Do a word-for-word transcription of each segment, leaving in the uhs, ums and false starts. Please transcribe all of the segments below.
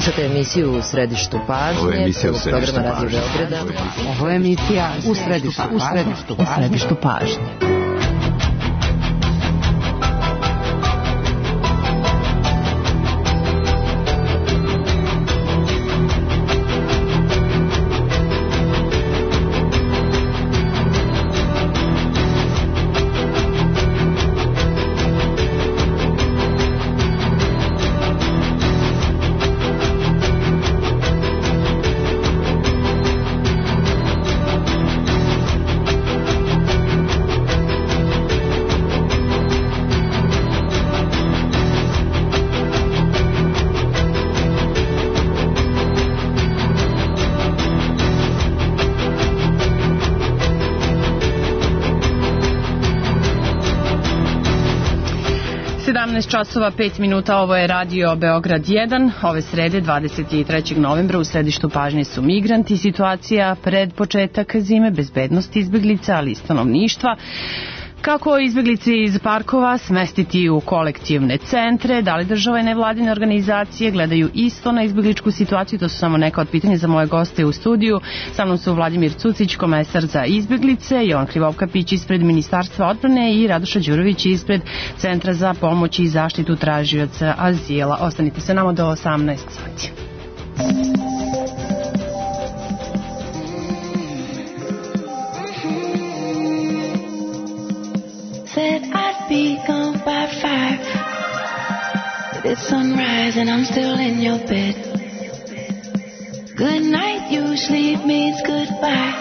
Slušate emisiju U središtu pažnje. Ovo je emisija U središtu programa Radio pažnje. Beograda. Ovo je emisija U središtu, u središtu, u središtu pažnje. sedamnaest časova pet minuta, ovo je Radio Beograd jedan. Ove srede, dvadeset trećeg novembra, u središtu pažnje su migranti, situacija pred početak zime, bezbednost izbeglica, ali i stanovništva. Kako izbeglice iz parkova smestiti u kolektivne centre, da li država i nevladine organizacije gledaju isto na izbegličku situaciju, to su samo neka od pitanja za moje goste u studiju. Sa mnom su Vladimir Cucić, komesar za izbeglice, Jovan Krivovkapić ispred Ministarstva odbrane i Radoša Đurović ispred Centra za pomoć i zaštitu tražioca azila. Ostanite se nama do osamnaest sati. Said I'd be gone by five, but it's sunrise and I'm still in your bed. Good night usually means goodbye.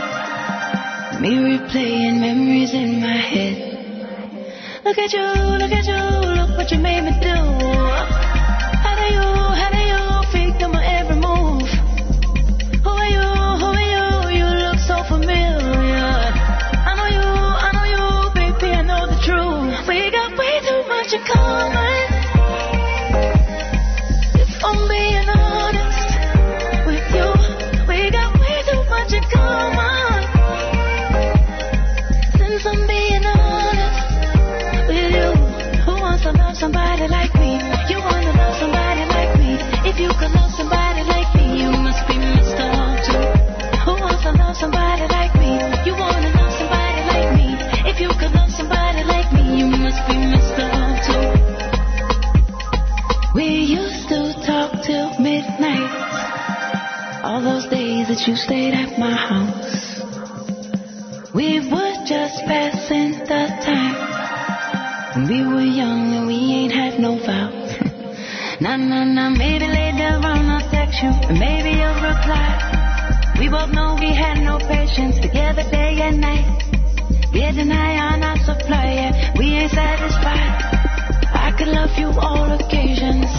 Me replaying memories in my head. Look at you, look at you, look what you made me do. How do you, how do you figure my every move? Who are you, who are you, you look so familiar. I know you, I know you, baby, I know the truth. We got way too much in common. If I'm being honest with you, we got way too much in common. Since I'm being honest with you, who wants to love somebody like me? You want to love somebody like me? If you could love somebody like me, you must be Mister Love too. Who wants to love somebody like me? You want to love somebody like me? If you could love somebody like me, you must be Mister Love too. We used to talk till midnight, all those days that you stayed at my house. We were just passing the time. We were young and we ain't had no vows. Nah, nah, nah, maybe later on I'll text you and maybe you'll reply. We both know we had no patience together day and night. We deny on our supply, yeah, we ain't satisfied. I could love you all occasions.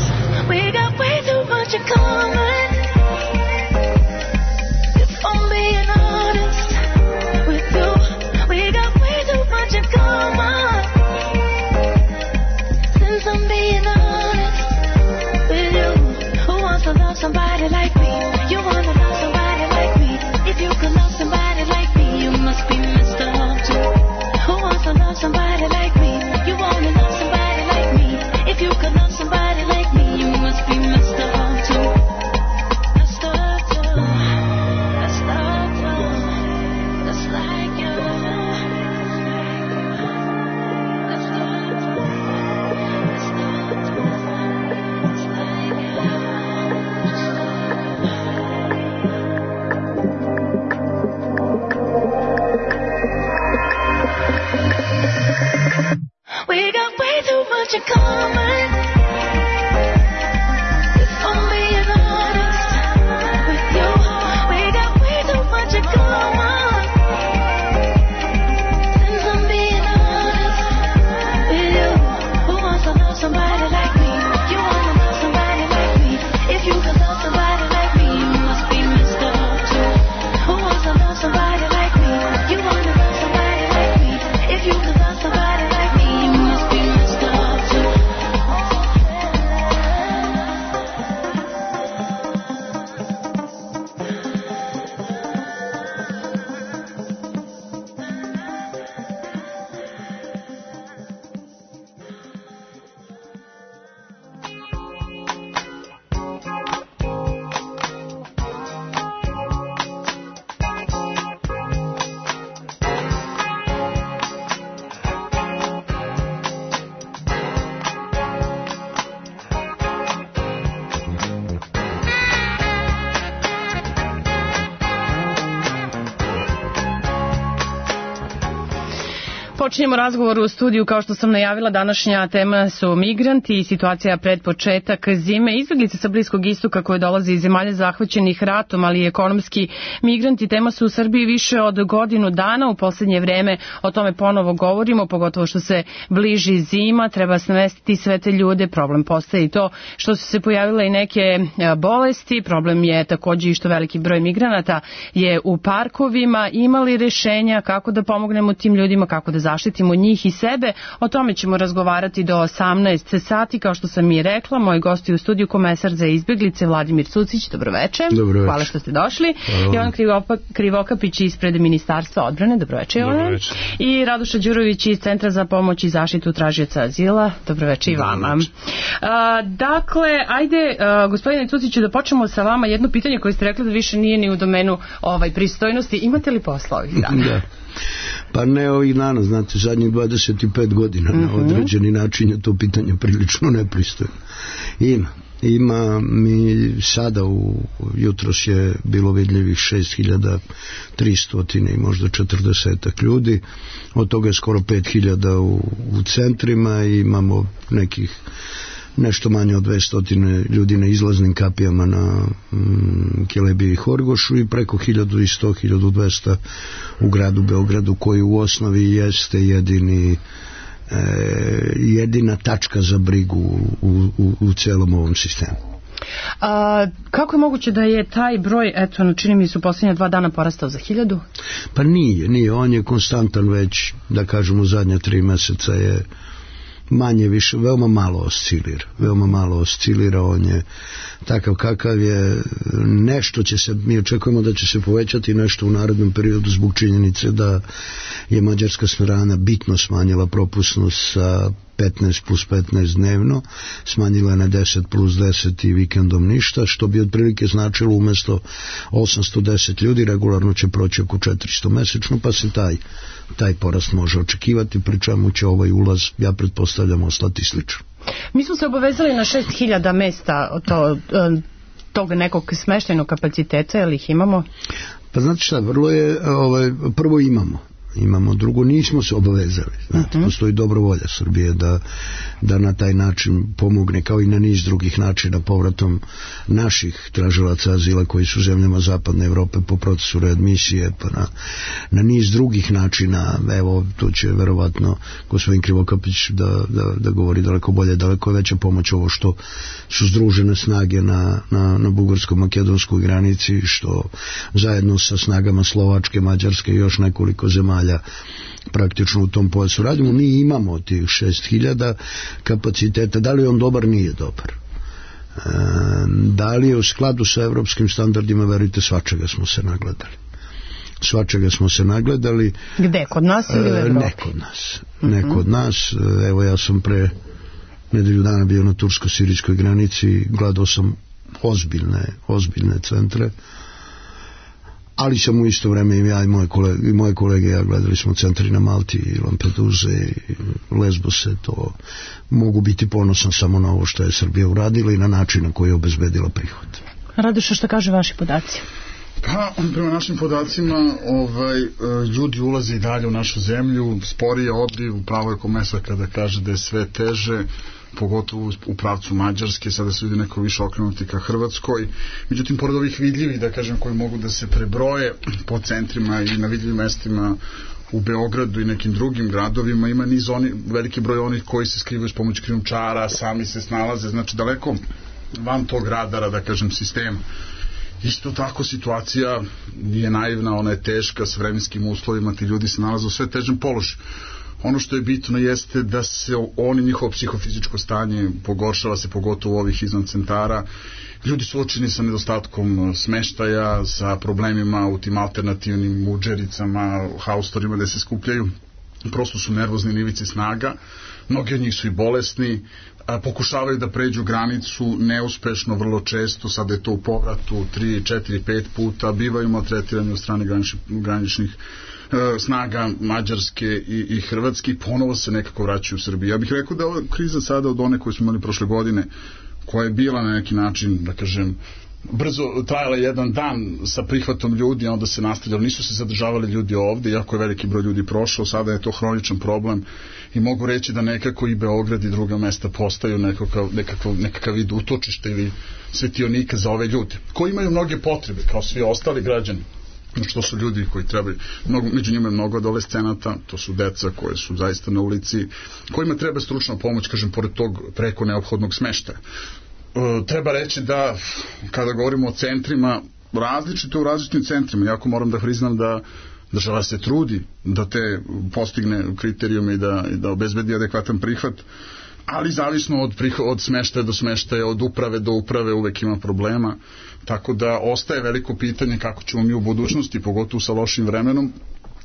We got way too much in common. If I'm being honest with you, we got way too much in common. Since I'm being honest with you, who wants to love somebody like me? You want to love somebody like me? If you could love somebody like me, you must be Mister Love too. Who wants to love somebody like me? You want to love somebody like me? If you could love somebody like me, you must be Mister Love too. Mister Love too. Mister Love too. Just like you. Mister Love too. Mister Love too. Just like you. We got way too much in common. If I'm being honest with you, we got way too much in common. Since I'm being honest with you, who wants to love somebody like me? You want to love somebody like me? If you could love somebody like me, you must be Mister Love too. Who wants to love somebody like me? You want to love somebody like me? If you could love somebody like me, you must be Mister Love too. Počinjemo razgovor u studiju, kao što sam najavila, današnja tema su migranti i situacija pred početak zime. Izbeglice sa Bliskog istoka koje dolaze iz zemalja zahvaćenih ratom, ali i ekonomski migranti, tema su u Srbiji više od godinu dana. U poslednje vreme o tome ponovo govorimo, pogotovo što se bliži zima, treba smestiti sve te ljude. Problem postaje i to što su se pojavile i neke bolesti. Problem je takođe i što veliki broj migranata je u parkovima. Imali rešenja kako da pomognemo tim ljudima, kako da zaštitimo njih i sebe? O tome ćemo razgovarati do osamnaest sati, kao što sam i rekla. Moj gost je u studiju komesar za izbeglice Vladimir Cucić. Dobroveče. Dobroveče. Hvala što ste došli. Jovan Krivokapić ispred Ministarstva odbrane. Dobroveče, Jovan. Dobroveče. I Radoša Đurović iz Centra za pomoć i zaštitu tražioca azila. Dobroveče i vama. A, dakle, ajde, a, gospodine Cuciću, da počnemo sa vama. Jedno pitanje koje ste rekli da više nije ni u domenu ovaj, pristojnosti. Imate li posla ovih dana? Da. Pa ne ovih dana, znate, zadnjih dvadeset pet godina mm-hmm. na određeni način je to pitanje prilično nepristojno. Ima. Ima mi sada, u, jutros je bilo vidljivih šest hiljada tristo i možda četrdeset ljudi, od toga je skoro pet hiljada u, u centrima i imamo nekih nešto manje od dvesta ljudi na izlaznim kapijama na mm, Kelebiji i Horgošu i preko hiljadu sto do hiljadu dvesta u gradu Beogradu, koji u osnovi jeste jedini e, jedina tačka za brigu u, u, u celom ovom sistemu. A, kako je moguće da je taj broj, eto, čini mi se u posljednja dva dana porastao za hiljadu? Pa nije, nije, on je konstantan već, da kažemo, zadnja tri meseca je manje više, veoma malo oscilira, veoma malo oscilira, on je takav kakav je, nešto će se, mi očekujemo da će se povećati nešto u narednom periodu zbog činjenice da je mađarska strana bitno smanjila propusnost sa petnaest plus petnaest dnevno, smanjila je na deset plus deset i vikendom ništa, što bi otprilike značilo umesto osamsto deset ljudi regularno će proći oko četiristo mesečno, pa se taj taj porast može očekivati, pri čemu će ovaj ulaz, ja pretpostavljam, ostati slično. Mi smo se obavezali na šest hiljada mesta to, tog nekog smeštajnog kapaciteta, jel ih imamo? Pa znate šta, vrlo je, ovaj, prvo imamo. Imamo, drugo nismo se obavezali. Znate, uh-huh. Postoji dobro volja Srbije da, da na taj način pomogne, kao i na niz drugih načina, povratom naših tražilaca azila koji su zemljama zapadne Evrope po procesu readmisije, pa na, na niz drugih načina. Evo, tu će verovatno gospodin Krivokapić da, da, da govori daleko bolje, daleko veća pomoć ovo što su združene snage na, na, na bugarsko-makedonskoj granici, što zajedno sa snagama Slovačke, Mađarske i još nekoliko zemalja praktično u tom pojasu radimo. Mi imamo tih šest hiljada kapaciteta. Da li je on dobar? Nije dobar. E, da li je u skladu sa evropskim standardima? Verujte, svačega smo se nagledali. Svačega smo se nagledali. Gde? Kod nas ili u Evropi? Ne kod nas. Ne kod nas. Evo, ja sam pre nedelju dana bio na tursko-sirijskoj granici, gledao sam ozbiljne, ozbiljne centre, ali sam u isto vreme i ja i moje kolege, i moje kolege ja gledali smo centri na Malti i Lampeduze i Lesbose. To mogu biti ponosan samo na ovo što je Srbija uradila i na način na koji je obezbedila prihod. Radoša, što kaže vaši podaci? Pa, prema našim podacima, ovaj, ljudi ulaze i dalje u našu zemlju, sporije odliv, upravo je komesar kada kaže da je sve teže, pogotovo u pravcu Mađarske, sada se vidi neko više okrenuti ka Hrvatskoj. Međutim, pored ovih vidljivih, da kažem, koji mogu da se prebroje po centrima i na vidljivim mestima u Beogradu i nekim drugim gradovima, ima niz oni, veliki broj onih koji se skrivaju s pomoć krijumčara, sami se snalaze, znači daleko van tog radara, da kažem, sistema. Isto tako situacija nije naivna, ona je teška, s vremenskim uslovima ti ljudi se nalaze u sve težem položaju. Ono što je bitno jeste da se oni, njihovo psihofizičko stanje pogoršava se, pogotovo ovih izvan centara. Ljudi su suočeni sa nedostatkom smeštaja, sa problemima u tim alternativnim muđericama, haustorima gde se skupljaju. Prosto su nervozni na ivici snaga. Mnogi od njih su i bolesni, a pokušavaju da pređu granicu neuspešno, vrlo često, sada je to u povratu tri, četiri, pet puta, bivaju maltretirani od strane graničnih, graničnih snaga Mađarske i, i Hrvatske i ponovo se nekako vraćaju u Srbiju. Ja bih rekao da ova kriza sada od one koje smo imali prošle godine, koja je bila na neki način, da kažem, brzo trajala jedan dan sa prihvatom ljudi, onda se nastavljalo, nisu se zadržavali ljudi ovde, iako je veliki broj ljudi prošao, sada je to hroničan problem i mogu reći da nekako i Beograd i druga mesta postaju nekakav, nekakav, nekakav vid utočišta ili svetionika za ove ljude, koji imaju mnoge potrebe, kao svi ostali građani. Znači, to su ljudi koji trebaju, mnogo, među njima je mnogo adolescenata, to su deca koje su zaista na ulici, kojima treba stručna pomoć, kažem, pored tog preko neophodnog smeštaja. E, treba reći da, kada govorimo o centrima, različito u različitim centrima, jako moram da priznam da država se trudi da te postigne kriterijume i da, i da obezbedi adekvatan prihvat, ali zavisno od, od smeštaja do smeštaja, od uprave do uprave uvek ima problema, tako da ostaje veliko pitanje kako ćemo mi u budućnosti, pogotovo sa lošim vremenom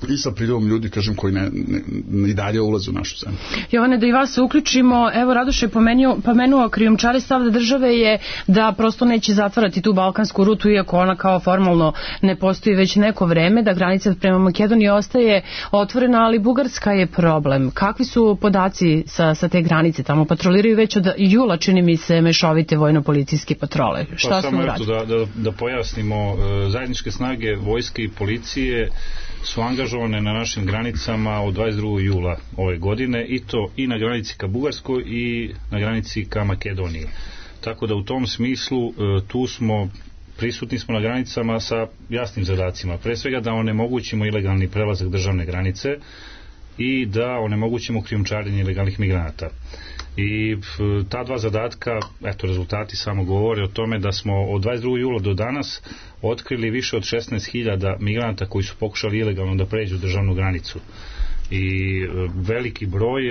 i sa priljevom ljudi, kažem, koji ne, ne, ne i dalje ulaze u našu zemlju. Jovane, da i vas se uključimo, evo Radoš je pomenuo, pomenuo krijumčare, stav da države je da prosto neće zatvarati tu balkansku rutu, iako ona kao formalno ne postoji već neko vreme, da granica prema Makedoniji ostaje otvorena, ali Bugarska je problem. Kakvi su podaci sa, sa te granice? Tamo patroliraju već od jula, čini mi se, mešovite vojno-policijske patrole. Šta pa, smo samo uradili? Da, da, da pojasnimo, zajedničke snage vojske i policije su angažovane na našim granicama od dvadeset drugog jula ove godine, i to i na granici ka Bugarskoj i na granici ka Makedoniji. Tako da u tom smislu tu smo, prisutni smo na granicama sa jasnim zadacima. Pre svega da onemogućimo ilegalni prelazak državne granice i da onemogućimo krijumčarenje ilegalnih migranata. I ta dva zadatka, eto, rezultati samo govore o tome da smo od dvadeset drugog jula do danas otkrili više od šesnaest hiljada migranata koji su pokušali ilegalno da pređu državnu granicu. I veliki broj,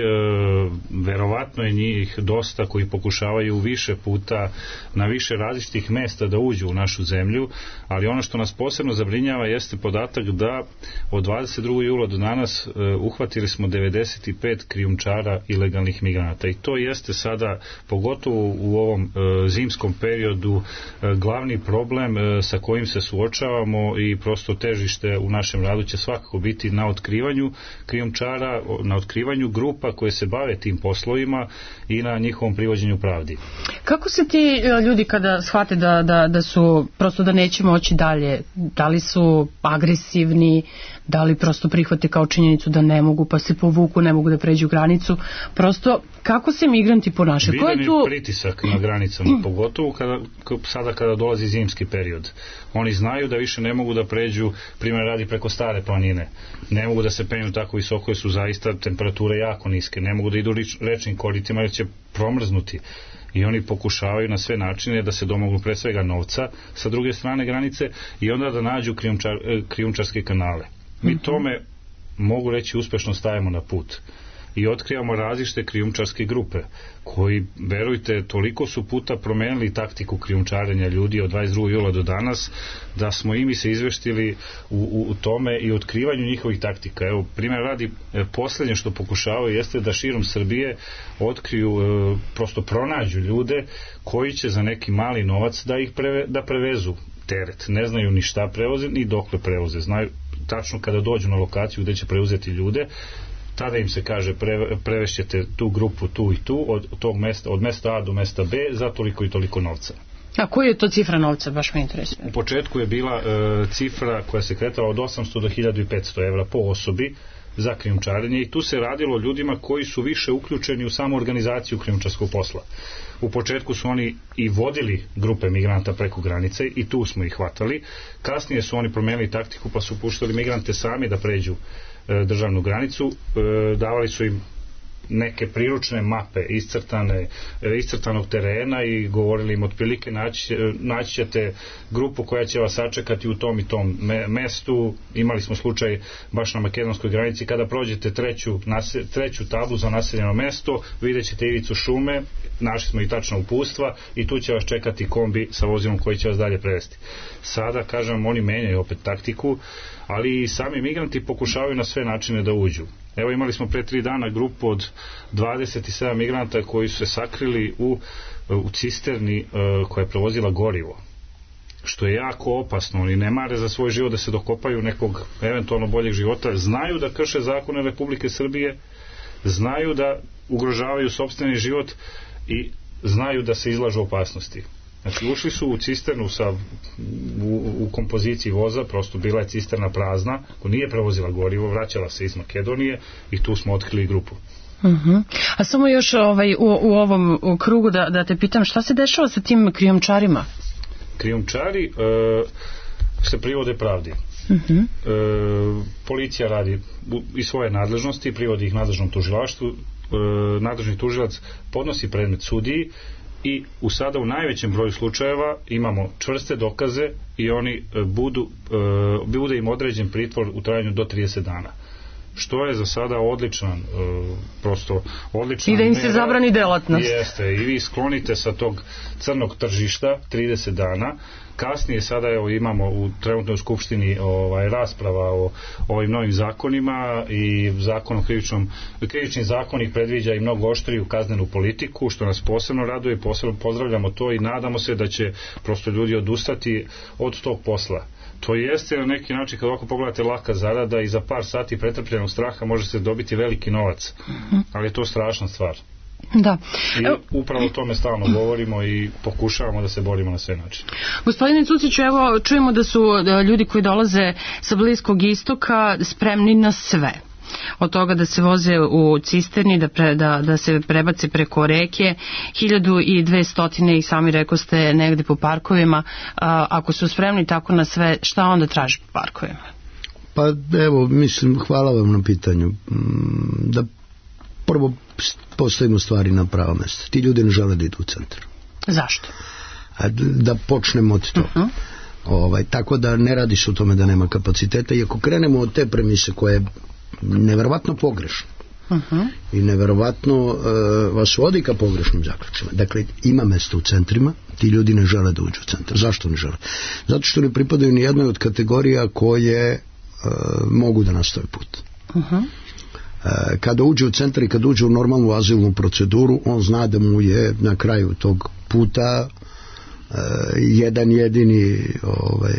verovatno je njih dosta koji pokušavaju više puta na više različitih mesta da uđu u našu zemlju, ali ono što nas posebno zabrinjava jeste podatak da od dvadeset drugog jula do danas uhvatili smo devedeset pet krijumčara ilegalnih migranata, i to jeste sada, pogotovo u ovom zimskom periodu, glavni problem sa kojim se suočavamo, i prosto težište u našem radu će svakako biti na otkrivanju krijumčara, na otkrivanju grupa koje se bave tim poslovima i na njihovom privođenju pravdi. Kako se ti ljudi kada shvate da, da, da su prosto da neće moći dalje, da li su agresivni, da li prosto prihvate kao činjenicu da ne mogu pa se povuku, ne mogu da pređu granicu, prosto kako se migranti ponašaju? Vidan je tu pritisak na granicama, pogotovo kada, sada kada dolazi zimski period. Oni znaju da više ne mogu da pređu, primjer radi, preko Stare planine, ne mogu da se penju tako visoko jer su zaista temperature jako niske, ne mogu da idu rečnim koritima jer će promrznuti, i oni pokušavaju na sve načine da se domognu pre svega novca sa druge strane granice i onda da nađu krijumčar, krijumčarske kanale. Mi tome, mogu reći, uspešno stajemo na put i otkrivamo različite krijumčarske grupe koji, verujte, toliko su puta promenili taktiku krijumčarenja ljudi od dvadeset drugog jula do danas da smo i mi se izveštili u, u, u tome i otkrivanju njihovih taktika. Evo, primjer radi, poslednje što pokušavaju jeste da širom Srbije otkriju, e, prosto pronađu ljude koji će za neki mali novac da ih preve, da prevezu teret. Ne znaju ni šta prevoze ni dokle prevoze. Znaju tačno kada dođu na lokaciju gde će preuzeti ljude, tada im se kaže pre, prevešćete tu grupu tu i tu od tog mesta, od mesta A do mesta B za toliko i toliko novca. A koja je to cifra novca, baš me interesuje? U početku je bila e, cifra koja se kretala od osamsto do hiljadu petsto evra po osobi za krijumčarenje, i tu se radilo o ljudima koji su više uključeni u samu organizaciju krijumčarskog posla. U početku su oni i vodili grupe migranta preko granice i tu smo ih hvatali. Kasnije su oni promenili taktiku pa su puštali migrante sami da pređu e, državnu granicu, e, davali su im neke priručne mape iscrtane, iscrtanog terena i govorili im otprilike naći, naći ćete grupu koja će vas sačekati u tom i tom me, mestu. Imali smo slučaj baš na makedonskoj granici, kada prođete treću, nase, treću tablu za naseljeno mesto, vidjet ćete ivicu šume, našli smo i tačna upustva i tu će vas čekati kombi sa vozilom koji će vas dalje prevesti. Sada, kažem, oni menjaju opet taktiku, ali i sami migranti pokušavaju na sve načine da uđu. Evo, imali smo pre tri dana grupu od dvadeset sedam migranta koji su se sakrili u, u cisterni uh, koja je prevozila gorivo, što je jako opasno. Oni ne mare za svoj život da se dokopaju nekog eventualno boljeg života, znaju da krše zakone Republike Srbije, znaju da ugrožavaju sopstveni život i znaju da se izlažu opasnosti. Znači ušli su u cisternu sa, u, u kompoziciji voza, prosto bila je cisterna prazna, ko nije prevozila gorivo, vraćala se iz Makedonije i tu smo otkrili grupu. Uh-huh. A samo još ovaj, u, u ovom u krugu da, da te pitam, šta se dešava sa tim krijumčarima? Krijumčari e, se privode pravdi. Uh-huh. E, policija radi i svoje nadležnosti, privodi ih nadležnom tužilaštvu, e, nadležni tužilac podnosi predmet sudiji i u sada u najvećem broju slučajeva imamo čvrste dokaze i oni budu, e, bude im određen pritvor u trajanju do trideset dana. Što je za sada odličan, uh, prosto odličan. I da im se zabrani delatnost. Jeste, i vi sklonite sa tog crnog tržišta trideset dana. Kasnije sada evo imamo u trenutnoj skupštini ovaj, rasprava o, o ovim novim zakonima i zakon o krivičnom, krivični zakonik predviđa i mnogo oštriju kaznenu politiku, što nas posebno raduje, posebno pozdravljamo to i nadamo se da će prosto ljudi odustati od tog posla. To jeste na neki način, kad ovako pogledate, laka zarada i za par sati pretrpljenog straha može se dobiti veliki novac, ali je to strašna stvar. Da. I upravo o tome stalno govorimo i pokušavamo da se borimo na sve načine. Gospodine Cuciću, evo čujemo da su da ljudi koji dolaze sa Bliskog istoka spremni na sve. Od toga da se voze u cisterni, da, pre, da, da se prebace preko reke, hiljadu i dvestotine i sami rekoste negde po parkovima. A, ako su spremni tako na sve, šta onda traži po parkovima? Pa evo, mislim, hvala vam na pitanju. Da prvo postavimo stvari na pravo mesto. Ti ljudi ne žele da idu u centar. Zašto? A da počnemo od toga. Uh-huh. Ovaj, tako da ne radi se o tome da nema kapaciteta, i ako krenemo od te premise koje je neverovatno pogrešno uh-huh. i neverovatno uh, vas vodi ka pogrešnim zaključima. Dakle, ima mesta u centrima, ti ljudi ne žele da uđu u centar. Zašto ne žele? Zato što ne pripadaju ni jednoj od kategorija koje uh, mogu da nastave put. Uh-huh. Uh, kada uđe u centar i kada uđe u normalnu azilnu proceduru, on zna da mu je na kraju tog puta uh, jedan jedini ovaj,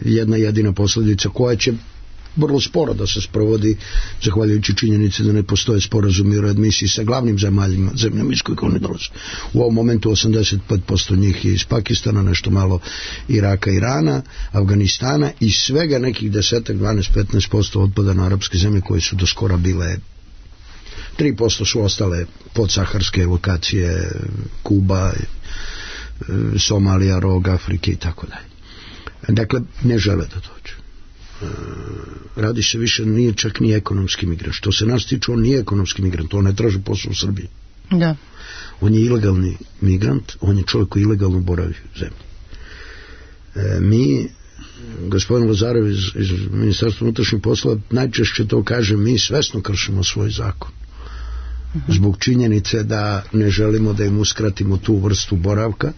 jedna jedina posljedica koja će vrlo sporo da se sprovodi, zahvaljujući činjenici da ne postoje sporazumi o readmisiji sa glavnim zemaljima, zemljama iz kojih oni dolaze. U ovom momentu osamdeset pet posto njih je iz Pakistana, nešto malo Iraka, Irana, Afganistana i svega nekih desetak, dvanaest do petnaest posto otpada na arapske zemlje koje su do skora bile, tri posto su ostale podsaharske lokacije, Kuba, Somalija, Rog Afrike i tako dalje. Dakle, ne žele da dođu. Radi se više, nije čak ni ekonomski migrant. Što se nas tiče, on nije ekonomski migrant, on ne traži posao u Srbiji. Da. On je ilegalni migrant, on je čovjek koji ilegalno boravi u zemlji. E, mi, gospodin Lazarev iz, iz Ministarstva unutrašnjih poslova najčešće to kaže, mi svesno kršimo svoj zakon. Uh-huh. Zbog činjenice da ne želimo da im uskratimo tu vrstu boravka,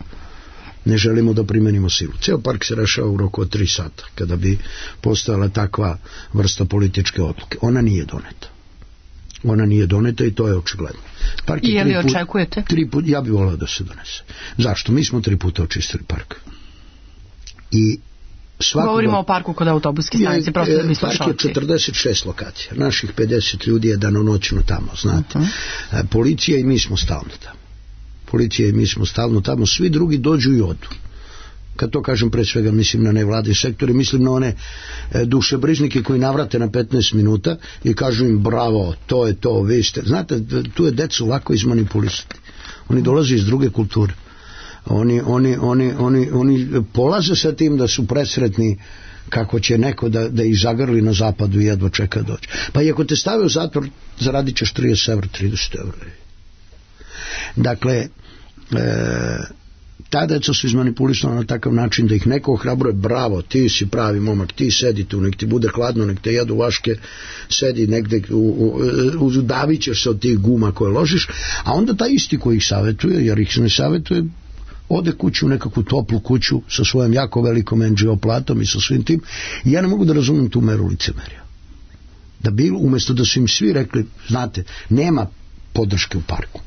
ne želimo da primenimo silu. Ceo park se rešava u roku od tri sata, kada bi postojala takva vrsta političke odluke. Ona nije doneta. Ona nije doneta i to je očigledno. Park I je li očekujete? Tri put, ja bih volao da se donese. Zašto? Mi smo tri puta očistili park. I svakoga, govorimo o parku kod autobuske stanice, prosto da bi slušalci. Park je četrdeset šest lokacija. Naših pedeset ljudi je danonoćno tamo, znate. Uh-huh. Policija i mi smo stalno tamo. Policija i mi smo stalno tamo, svi drugi dođu i odu. Kad to kažem, pre svega mislim na nevladine sektore, mislim na one e, dušebrižnike koji navrate na petnaest minuta i kažu im bravo, to je to, vi ste. Znate, tu je decu lako izmanipulisati. Oni dolaze iz druge kulture. Oni, oni, oni, oni, oni polaze sa tim da su presretni kako će neko da, da ih zagrli na zapadu i jedva čeka doći. Pa i ako te stave u zatvor, zaradit ćeš trideset evra, trideset evra. Dakle, e, ta deca su izmanipulisana na takav način da ih neko ohrabruje, bravo, ti si pravi momak, ti sedi tu, nek ti bude hladno, nek te jedu vaške, sedi negde, udavit ćeš se od tih guma koje ložiš, a onda taj isti koji ih savjetuje, jer ih ne savjetuje, ode kući u nekakvu toplu kuću sa svojom jako velikom en dži o platom i sa svim tim. I ja ne mogu da razumem tu meru licemerja. Da bilo, umjesto da su im svi rekli, znate, nema podrške u parku.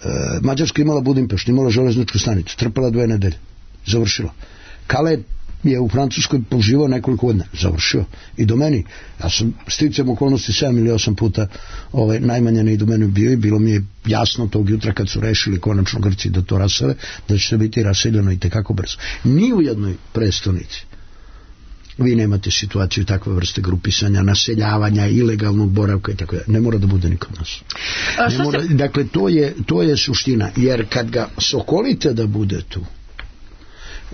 E, Mađarska imala Budimpešt, imala železničku stanicu, trpela dve nedelje, završila. Kale je u Francuskoj poživao nekoliko godina, završio i do meni. Ja sam sticam okolnosti sedam ili osam puta ovaj, najmanje ne i do mene bio i bilo mi je jasno tog jutra kad su rešili konačno Grci da to rasele, da će to biti raseljeno i tekako brzo. Ni u jednoj prestonici vi nemate situaciju takve vrste grupisanja, naseljavanja, ilegalnog boravka i tako da. Ne mora da bude ni kod nas. Ne mora, dakle, to je, to je suština, jer kad ga sokolite da bude tu,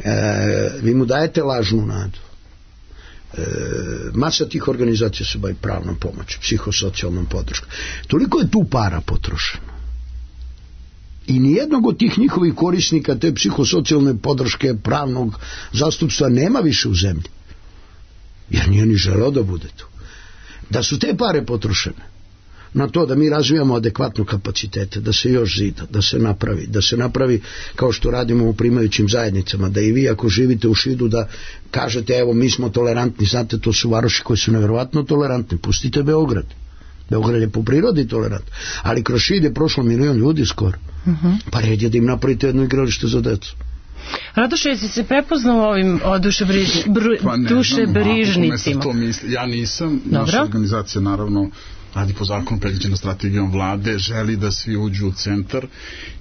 e, vi mu dajete lažnu nadu. E, masa tih organizacija se bavi pravnom pomoći, psihosocijalnom podrškom. Toliko je tu para potrošeno. I nijednog od tih njihovih korisnika te psihosocijalne podrške, pravnog zastupstva nema više u zemlji. Jer nije ni želeo da bude tu. Da su te pare potrošene na to da mi razvijamo adekvatno kapacitete, da se još zida, da se napravi, da se napravi kao što radimo u primajućim zajednicama, da i vi ako živite u Šidu da kažete evo mi smo tolerantni, znate to su varoši koji su nevjerovatno tolerantni, pustite Beograd. Beograd je po prirodi tolerant, ali kroz Šid je prošlo milion ljudi skoro. Uh-huh. Pa red je da im napravite jedno igralište za decu. Radoše, jesi se prepoznao ovim dušebrižnicima? Pa dušebrižnicima? Ja nisam. Dobro. Naša organizacija naravno radi po zakonu predviđena strategijom vlade, želi da svi uđu u centar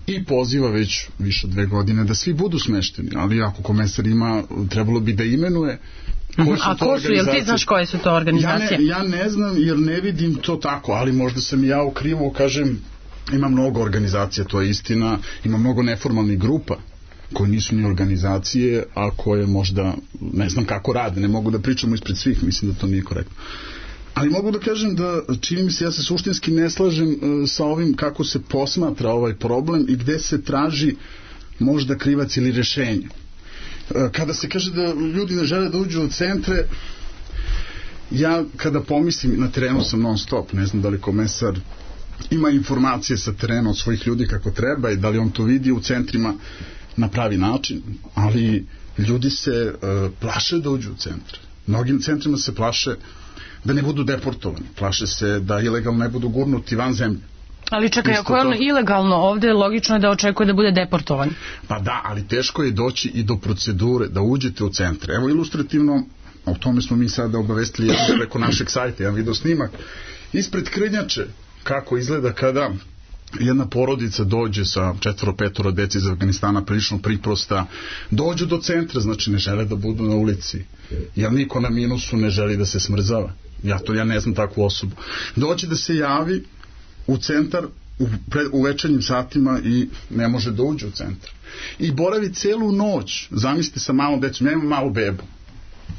i poziva već više od dve godine da svi budu smešteni, ali ako komesar ima, trebalo bi da imenuje. A ko su, jel ti znaš koje su to organizacije? Ja ne, ja ne znam jer ne vidim to tako, ali možda sam ja u krivu, kažem, ima mnogo organizacija, to je istina, ima mnogo neformalnih grupa koje nisu ni organizacije, a koje možda, ne znam kako rade, ne mogu da pričamo ispred svih, mislim da to nije korektno. Ali mogu da kažem da čini mi se, ja se suštinski ne slažem uh, sa ovim kako se posmatra ovaj problem i gde se traži možda krivac ili rešenje. Uh, kada se kaže da ljudi ne žele da uđu u centre, ja kada pomislim, na terenu sam non stop, ne znam da li komesar ima informacije sa terena od svojih ljudi kako treba i da li on to vidi u centrima na pravi način, ali ljudi se uh, plaše da uđu u centre. Mnogim centrima se plaše da ne budu deportovani, plaše se da ilegalno ne budu gurnuti van zemlje. Ali čekaj, ako je on to ilegalno ovde, logično je da očekuje da bude deportovan. Pa da, ali teško je doći i do procedure, da uđete u centre. Evo ilustrativno, o tome smo mi sada obavestili preko našeg sajta, jedan video snimak, ispred Krnjače, kako izgleda kada jedna porodica dođe sa četvoro, petoro deci iz Afganistana, prilično priprosta, dođu do centra, znači ne žele da budu na ulici, jer niko na minusu ne želi da se smrzava. Ja to, ja ne znam takvu osobu. Dođe da se javi u centar u, pre, u večernjim satima i ne može da uđe u centar. I boravi celu noć, zamislite sa malom decom, ja imam malu bebu.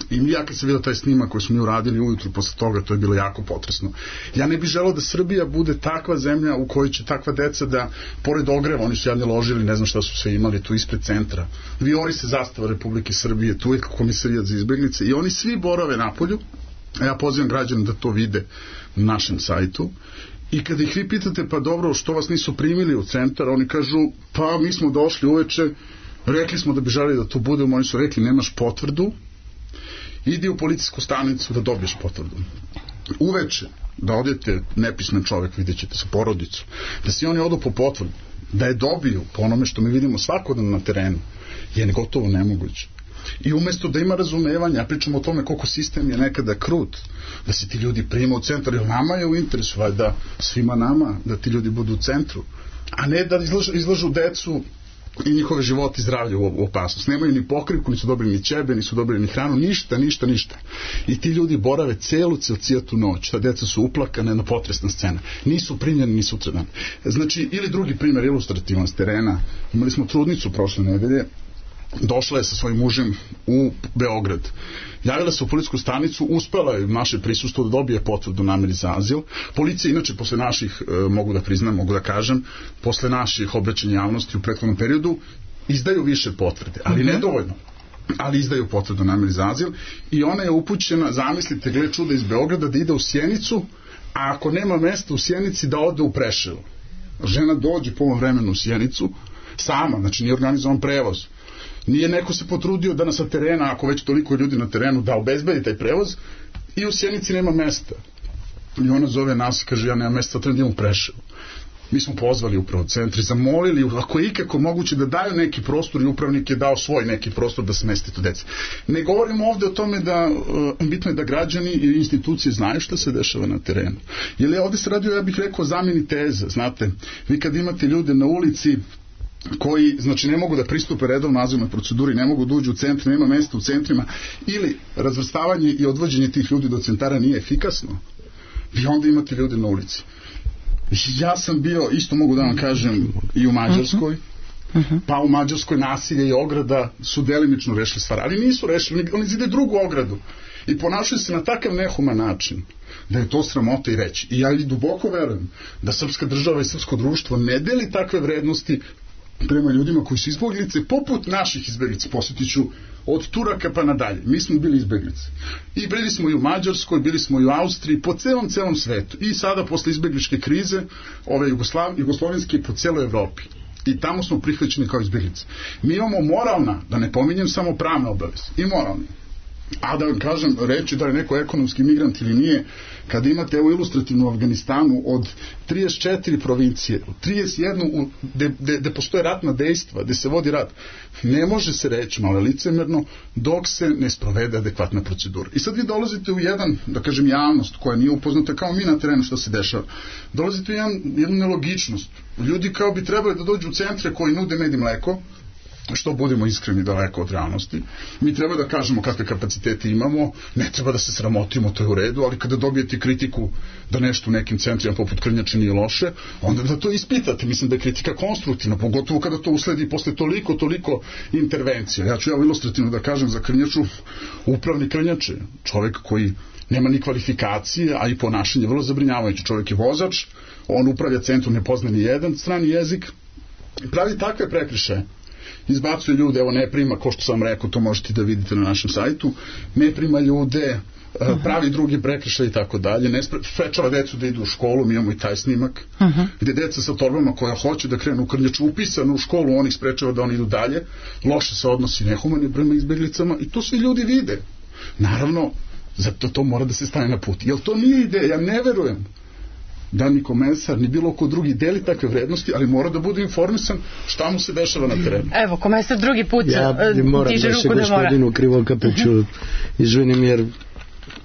I ja kad sam vidio taj snimak koji smo mi uradili ujutru posle toga, to je bilo jako potresno. Ja ne bih želeo da Srbija bude takva zemlja u kojoj će takva deca da, pored ogreva, oni su jadni ložili, ne znam šta su sve imali tu ispred centra, vijori se zastava Republike Srbije, tu je Komisarijat za izbeglice i oni svi borave napolju, a ja pozivam građane da to vide na našem sajtu. I kada ih vi pitate, pa dobro, što vas nisu primili u centar, oni kažu, pa mi smo došli uveče, rekli smo da bi želeli da to budemo, oni su rekli, nemaš potvrdu, idi u policijsku stanicu da dobiješ potvrdu. Uveče, da odete, nepismen čovjek, vidjet ćete sa porodicom, da si oni odu po potvrdu, da je dobiju po onome što mi vidimo svakodnevno na terenu, je gotovo nemoguće. I umjesto da ima razumevanja, ja pričam o tome koliko sistem je nekada krut, da se ti ljudi prima u centar, jer nama je u interesu, da svima nama, da ti ljudi budu u centru, a ne da izlažu, izlažu decu i njihove životi i zdravlje u opasnost. Nemaju ni pokrivku, nisu dobili ni ćebe, nisu dobili ni hranu, ništa, ništa, ništa. I ti ljudi borave celu cijelcijatu noć. Ta deca su uplakane, na potresna scena. Nisu primljeni ni sutradan. Znači, ili drugi primjer ilustrativan s terena. Imali smo trudnicu prošle nedelje, došla je sa svojim mužem u Beograd. Javila se u policijsku stanicu, uspela je naše prisustvo da dobije potvrdu nameri za azil. Policija, inače, posle naših, e, mogu da priznam, mogu da kažem, posle naših obraćanja javnosti u prethodnom periodu, izdaju više potvrde, ali mm-hmm. nedovoljno. Ali izdaju potvrdu nameri za azil i ona je upućena, zamislite, gle čuda, iz Beograda da ide u Sjenicu, a ako nema mesta u Sjenici da ode u Preševo. Žena dođe po ovom vremenu u Sjenicu, sama, znači nije organizovan prevoz. Nije neko se potrudio da nas sa terena, ako već toliko ljudi na terenu, da obezbedi taj prevoz i u Sjenici nema mesta. I ona zove nas i kaže, ja nema mesta, treba da idem u Preševo. Mi smo pozvali upravo centri, zamolili, ako je ikako moguće da daju neki prostor i upravnik je dao svoj neki prostor da smesti to dece. Ne govorimo ovde o tome da, bitno je da građani i institucije znaju šta se dešava na terenu. Jer je ovde se radio, ja bih rekao, zameni teza, znate, vi kad imate ljude na ulici koji, znači, ne mogu da pristupe redovno azilnoj proceduri, ne mogu da uđu u centri, nema mesta u centrima, ili razvrstavanje i odvođenje tih ljudi do centara nije efikasno, vi onda imate ljude na ulici. Ja sam bio, isto mogu da vam kažem, i u Mađarskoj, pa u Mađarskoj nasilje i ograda su delimično rešili stvar, ali nisu rešili, oni zide drugu ogradu i ponašaju se na takav nehuman način da je to sramota i reći. I ja i duboko verujem da srpska država i srpsko društvo ne deli takve vrednosti prema ljudima koji su izbeglice, poput naših izbeglica, posjetit ću od Turaka pa nadalje. Mi smo bili izbeglice. I bili smo i u Mađarskoj, bili smo i u Austriji, po celom, celom svetu. I sada, posle izbegličke krize, ove Jugoslav, jugoslovenske, po celoj Evropi. I tamo smo prihvaćeni kao izbeglice. Mi imamo moralna, da ne pominjem samo pravne obaveze, i moralni. A da vam kažem, reći da je neko ekonomski migrant ili nije, kada imate evo ilustrativnu Afganistanu od trideset četiri provincije, trideset jedan gde postoje ratna dejstva, gde se vodi rat, ne može se reći, malo licemerno, dok se ne sprovede adekvatna procedura. I sad vi dolazite u jedan, da kažem, javnost koja nije upoznata kao mi na terenu što se dešava, dolazite u jedan, jednu nelogičnost. Ljudi kao bi trebali da dođu u centre koji nude med i mleko, što budemo iskreni, daleko od realnosti. Mi treba da kažemo kakve kapacitete imamo, ne treba da se sramotimo, to je u redu, ali kada dobijete kritiku da nešto u nekim centrima poput Krnjače nije loše, onda da to ispitate. Mislim da je kritika konstruktivna, pogotovo kada to usledi posle toliko, toliko intervencija. Ja ću ja ilustrativno da kažem za Krnjaču, upravnik Krnjače, čovek koji nema ni kvalifikacije, a i ponašanje vrlo zabrinjavajuće. Čovek je vozač, on upravlja centrum, ne pozna ni jedan strani jezik, pravi takve prekršaje, izbacuje ljude, evo ne prima, ko što sam rekao, to možete da vidite na našem sajtu, ne prima ljude, pravi drugi prekršaj i tako dalje, ne sprečava decu da idu u školu, mi imamo i taj snimak, uh-huh. gde deca sa torbama koja hoće da krenu u Krnjaču upisano u školu, on ih sprečava da oni idu dalje, loše se odnosi nehumani prema izbeglicama i to svi ljudi vide. Naravno, zato to mora da se stane na put. Jel to nije ideja? Ja ne verujem da ni komesar, ni bilo ko drugi deli takve vrednosti, ali mora da bude informisan šta mu se dešava na terenu. Evo, komesar drugi put ja moram tiže da ruku se da mora. gospodinu Krivokapiću uh-huh. izvinim, jer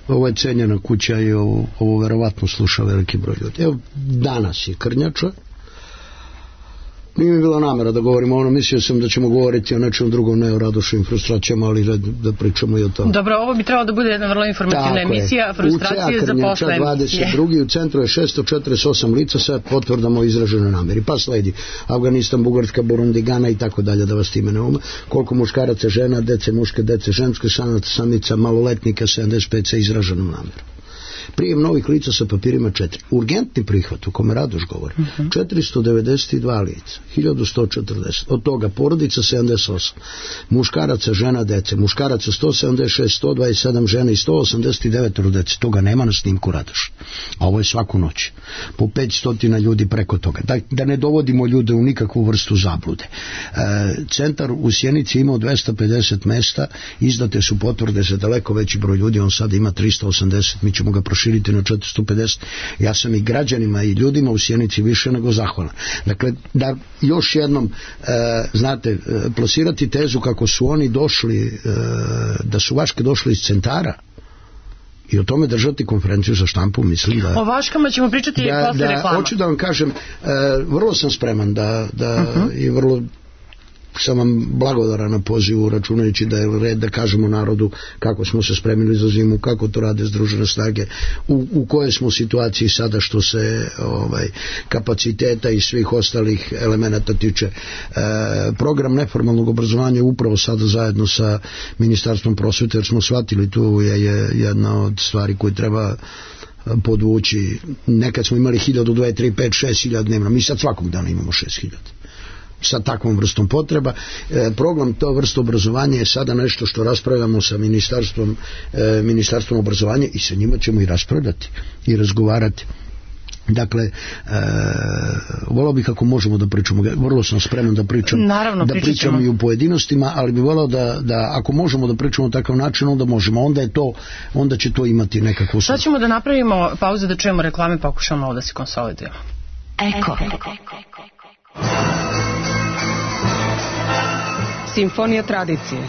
ovo je cenjena kuća i ovo, ovo verovatno sluša veliki broj ljudi. Evo, danas je Krnjača. Nije mi bilo namera da govorimo ono, mislio sam da ćemo govoriti o nečem drugom, ne o Radošovim frustracijama, ali da, da pričamo i o tome. Dobro, ovo bi trebalo da bude jedna vrlo informativna tako emisija, je. Frustracije za posle. dvadeset drugi u centru je šesto četrdeset osam lica sa potvrdama o izraženoj nameri. Pa sledi Afganistan, Bugarska, Burundi, Gana i tako dalje, da vas time ne ume. Koliko muškaraca, žena, dece, muške, dece, ženske, sanata, samica, maloletnika, sedamdeset pet sa izraženom namerom. Prijem novih lica sa papirima četiri. Urgentni prihvat, o kome Radoš govori, uh-huh. četiristo devedeset dva lica, hiljadu sto četrdeset. Od toga porodica sedamdeset osam, muškaraca, žena, dece, muškaraca sto sedamdeset šest, sto dvadeset sedam žena i sto osamdeset devet dece. Toga nema na snimku Radoš. A ovo je svaku noć. Po petsto ljudi preko toga. Da, da ne dovodimo ljude u nikakvu vrstu zablude. E, centar u Sjenici imao dvesta pedeset mesta, izdate su potvrde za daleko veći broj ljudi, on sada ima tristo osamdeset, mi ćemo ga proširiti na četiristo pedeset. Ja sam i građanima i ljudima u Sjenici više nego zahvalan. Dakle, da još jednom e, znate, e, plasirati tezu kako su oni došli, e, da su Vaške došli iz centara i o tome držati konferenciju za štampu, mislim da... O Vaškama ćemo pričati i da, posle da, reklama. Hoću da vam kažem, e, vrlo sam spreman da, da uh-huh. i vrlo sam vam blagodaran na pozivu, računajući da je red da kažemo narodu kako smo se spremili za zimu, kako to rade Združene snage, u, u kojoj smo situaciji sada što se ovaj, kapaciteta i svih ostalih elemenata tiče. E, program neformalnog obrazovanja je upravo sada zajedno sa Ministarstvom prosvete, jer smo shvatili, tu je, je jedna od stvari koju treba podvući. Nekad smo imali hiljadu, dve, tri, pet, šest hiljada dnevno, mi sad svakog dana imamo šest hiljada. Sa takvom vrstom potreba. E, program to vrste obrazovanja je sada nešto što raspravljamo sa ministarstvom, e, ministarstvom obrazovanja i sa njima ćemo i raspravljati i razgovarati. Dakle, e, volao bih ako možemo da pričamo, vrlo sam spreman da pričam, Naravno, da pričam i u pojedinostima, ali bih volao da, da ako možemo da pričamo takav način, onda možemo, onda je to, onda će to imati nekakvu... Sad ćemo da napravimo pauzu da čujemo reklame, pokušamo ovo da se konsolidujemo. Eko. Simfonija tradicije.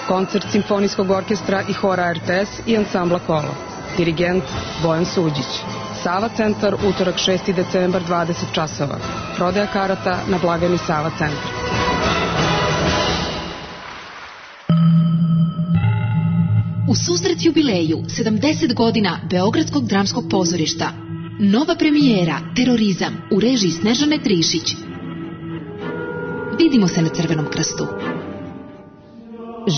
Koncert Simfonijskog orkestra i hora R T S i ansambla Kolo. Dirigent Bojan Suđić. Sava centar, utorak šesti decembar, dvadeset časova. Prodaja karata na blagajni Sava centar. U susret jubileju sedamdeset godina Beogradskog dramskog pozorišta. Nova premijera Terorizam u režiji Snežane Trišić. Vidimo se na Crvenom krstu.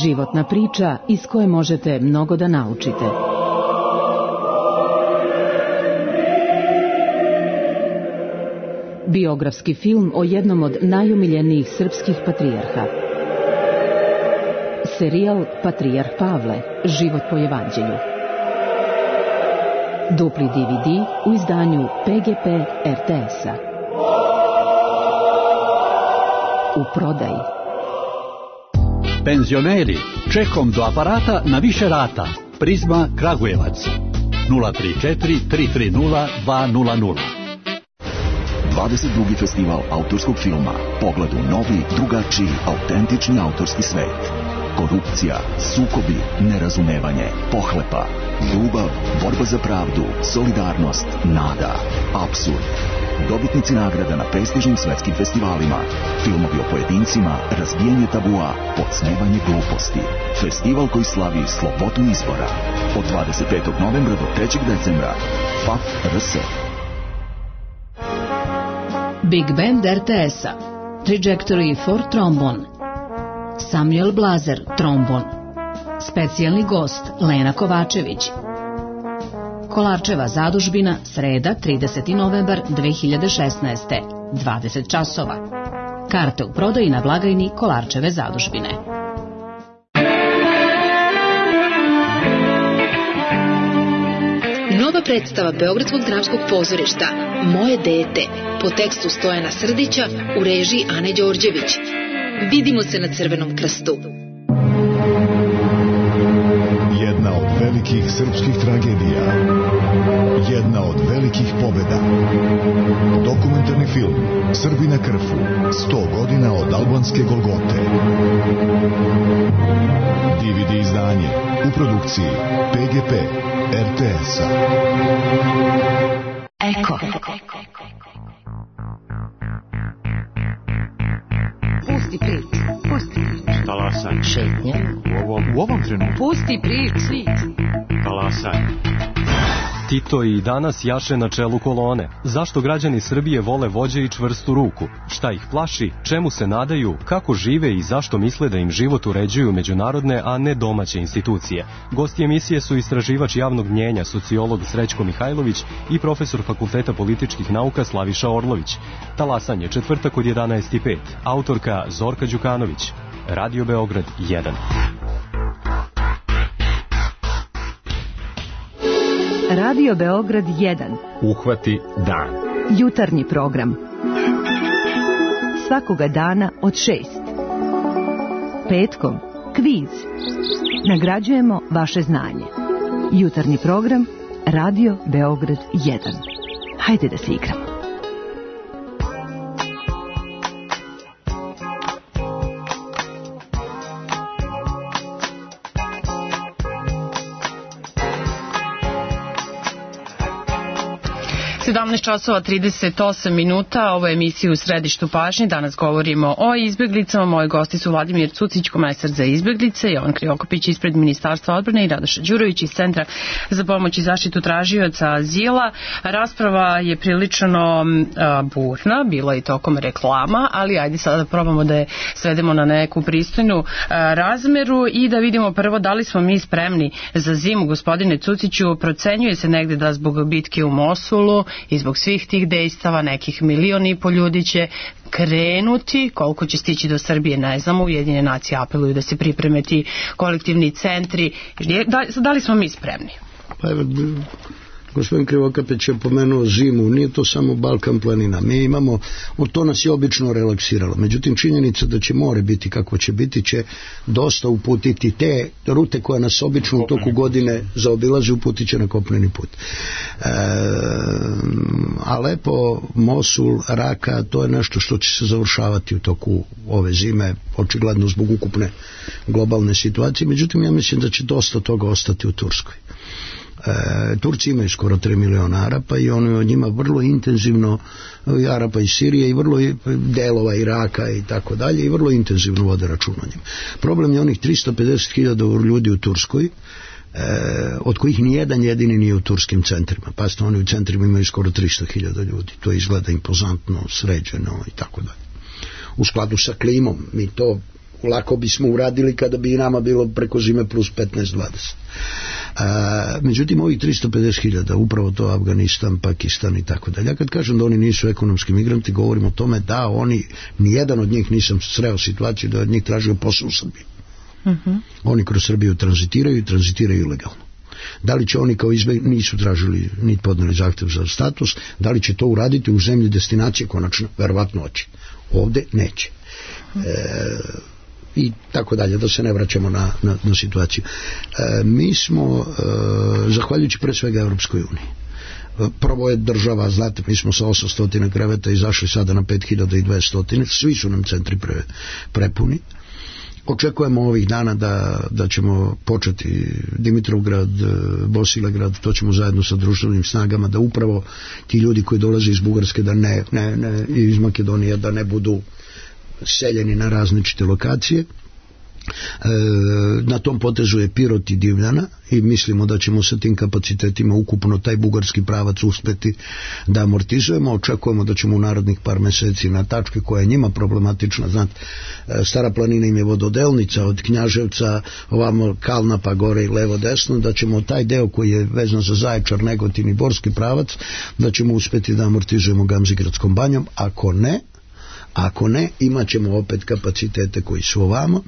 Životna priča iz koje možete mnogo da naučite. Biografski film o jednom od najomiljenijih srpskih patrijarha. Serijal Patrijarh Pavle, život po evanđelju. Dupli D V D u izdanju P G P R T S-a. U prodaji. Penzioneri, čekom do aparata na više rata. Prizma Kragujevac. nula tri četiri tri tri nula dva nula nula. dvadeset drugi festival autorskog filma. Pogled u novi, drugačiji, autentični autorski svet. Korupcija, sukobi, nerazumevanje, pohlepa, ljubav, borba za pravdu, solidarnost, nada, apsurd. Dobitnici nagrada na prestižnim svetskim festivalima. Filmovi o pojedincima, razbijanje tabua, podsmevanje gluposti. Festival koji slavi slobodu izbora. Od dvadeset petog novembra do trećeg decembra. F A F R S. Big Band R T S-a. Trajectory for Trombone. Samuel Blazer, trombon. Specijalni gost Lena Kovačević. Kolarčeva zadužbina, sreda, trideseti novembar dve hiljade šesnaeste. dvadeset časova. Karte u prodaji na blagajni Kolarčeve zadužbine. Nova predstava Beogradskog dramskog pozorišta Moje dete po tekstu Stojana Srdića u režiji Ane Đorđević. Vidimo se na Crvenom krstu. Jedna od velikih srpskih tragedija. Jedna od velikih pobjeda. Dokumentarni film Srbi na Krfu. sto godina od albanske Golgote. D V D izdanje u produkciji P G P R T S-a. Eko. Pusti prič, pusti prič. Talasaj. Šetnja. U ovom, u ovom trenutku. Pusti prič. Talasaj. Tito i danas jaše na čelu kolone. Zašto građani Srbije vole vođe i čvrstu ruku? Šta ih plaši? Čemu se nadaju? Kako žive i zašto misle da im život uređuju međunarodne, a ne domaće institucije? Gosti emisije su istraživač javnog mnjenja, sociolog Srećko Mihajlović i profesor Fakulteta političkih nauka Slaviša Orlović. Talasanje, četvrtak od jedanaest i pet. Autorka Zorka Đukanović. Radio Beograd jedan. Radio Beograd jedan. Uhvati dan. Jutarnji program. Svakoga dana od šest. Petkom kviz. Nagrađujemo vaše znanje. Jutarnji program Radio Beograd jedan. Hajde da se igramo. sedamnaest časova trideset osam minuta, ovo je emisija U središtu pažnje. Danas govorimo o izbjeglicama. Moji gosti su Vladimir Cucić, komesar za izbjeglice, Jovan Krivokapić ispred Ministarstva odbrane i Radoša Đurović iz Centra za pomoć i zaštitu tražioca azila. Rasprava je prilično a, burna, bilo je i tokom reklama, ali ajde sada da probamo da je svedemo na neku pristojnu a, razmeru i da vidimo prvo da li smo mi spremni za zimu. Gospodine Cuciću, procenjuje se negde da zbog bitke u Mosulu i zbog svih tih dejstava nekih milion i po ljudi će krenuti, koliko će stići do Srbije ne znamo, Ujedinjene nacije apeluju da se pripreme ti kolektivni centri. Da, da li smo mi spremni? Pa evo, Gospodin Krivokapeć je pomenuo zimu, nije to samo Balkan planina. Mi imamo, to nas je obično relaksiralo. Međutim, činjenica da će more biti kako će biti, će dosta uputiti te rute koje nas obično u toku godine zaobilaze, uputit će na kopneni put. E, Alepo, Mosul, Raka, to je nešto što će se završavati u toku ove zime, očigledno zbog ukupne globalne situacije. Međutim, ja mislim da će dosta toga ostati u Turskoj. E, Turci imaju skoro tri miliona Arapa i oni od njima vrlo intenzivno, Arapa iz Sirije i vrlo delova Iraka i tako dalje, i vrlo intenzivno vode račun o njima. Problem je onih tristo pedeset hiljada ljudi u Turskoj, e, od kojih nijedan jedini nije u turskim centrima. Pazite, oni u centrima imaju skoro tristo hiljada ljudi. To izgleda impozantno, sređeno i tako dalje. U skladu sa klimom, mi to lako bismo uradili kada bi i nama bilo preko zime plus petnaest dvadeset. A, međutim, ovih tristo pedeset hiljada, upravo to Afganistan, Pakistan i tako dalje. Ja kad kažem da oni nisu ekonomski migranti, govorim o tome da oni, nijedan od njih nisam sreo situaciju da od njih tražio posao u Srbiji. Uh-huh. Oni kroz Srbiju tranzitiraju i tranzitiraju ilegalno. Da li će oni kao izbjeg nisu tražili ni podneli zahtev za status, da li će to uraditi u zemlji destinacije konačno, verovatno hoće. Ovde neće. E, i tako dalje, da se ne vraćamo na, na, na situaciju. E, mi smo, e, zahvaljujući pre svega Evropskoj uniji, prvo je država, znate, mi smo sa osamsto kreveta izašli sada na pet hiljada dvesta, svi su nam centri pre, prepuni. Očekujemo ovih dana da, da ćemo početi Dimitrovgrad, Bosilegrad, to ćemo zajedno sa društvenim snagama, da upravo ti ljudi koji dolaze iz Bugarske, da ne, ne, ne, iz Makedonije, da ne budu seljeni na različite lokacije. E, na tom potezu je Pirot i Divljana i mislimo da ćemo sa tim kapacitetima ukupno taj bugarski pravac uspeti da amortizujemo. Očekujemo da ćemo u narodnih par meseci na tačke koja je njima problematična, znate, Stara planina im je vododelnica od Knjaževca ovamo Kalna pa gore i levo desno, da ćemo taj deo koji je vezan za Zaječar, Negotin i Borski pravac, da ćemo uspeti da amortizujemo Gamzigradskom banjom. Ako ne, Ako ne, imat ćemo opet kapacitete koji su ovamo,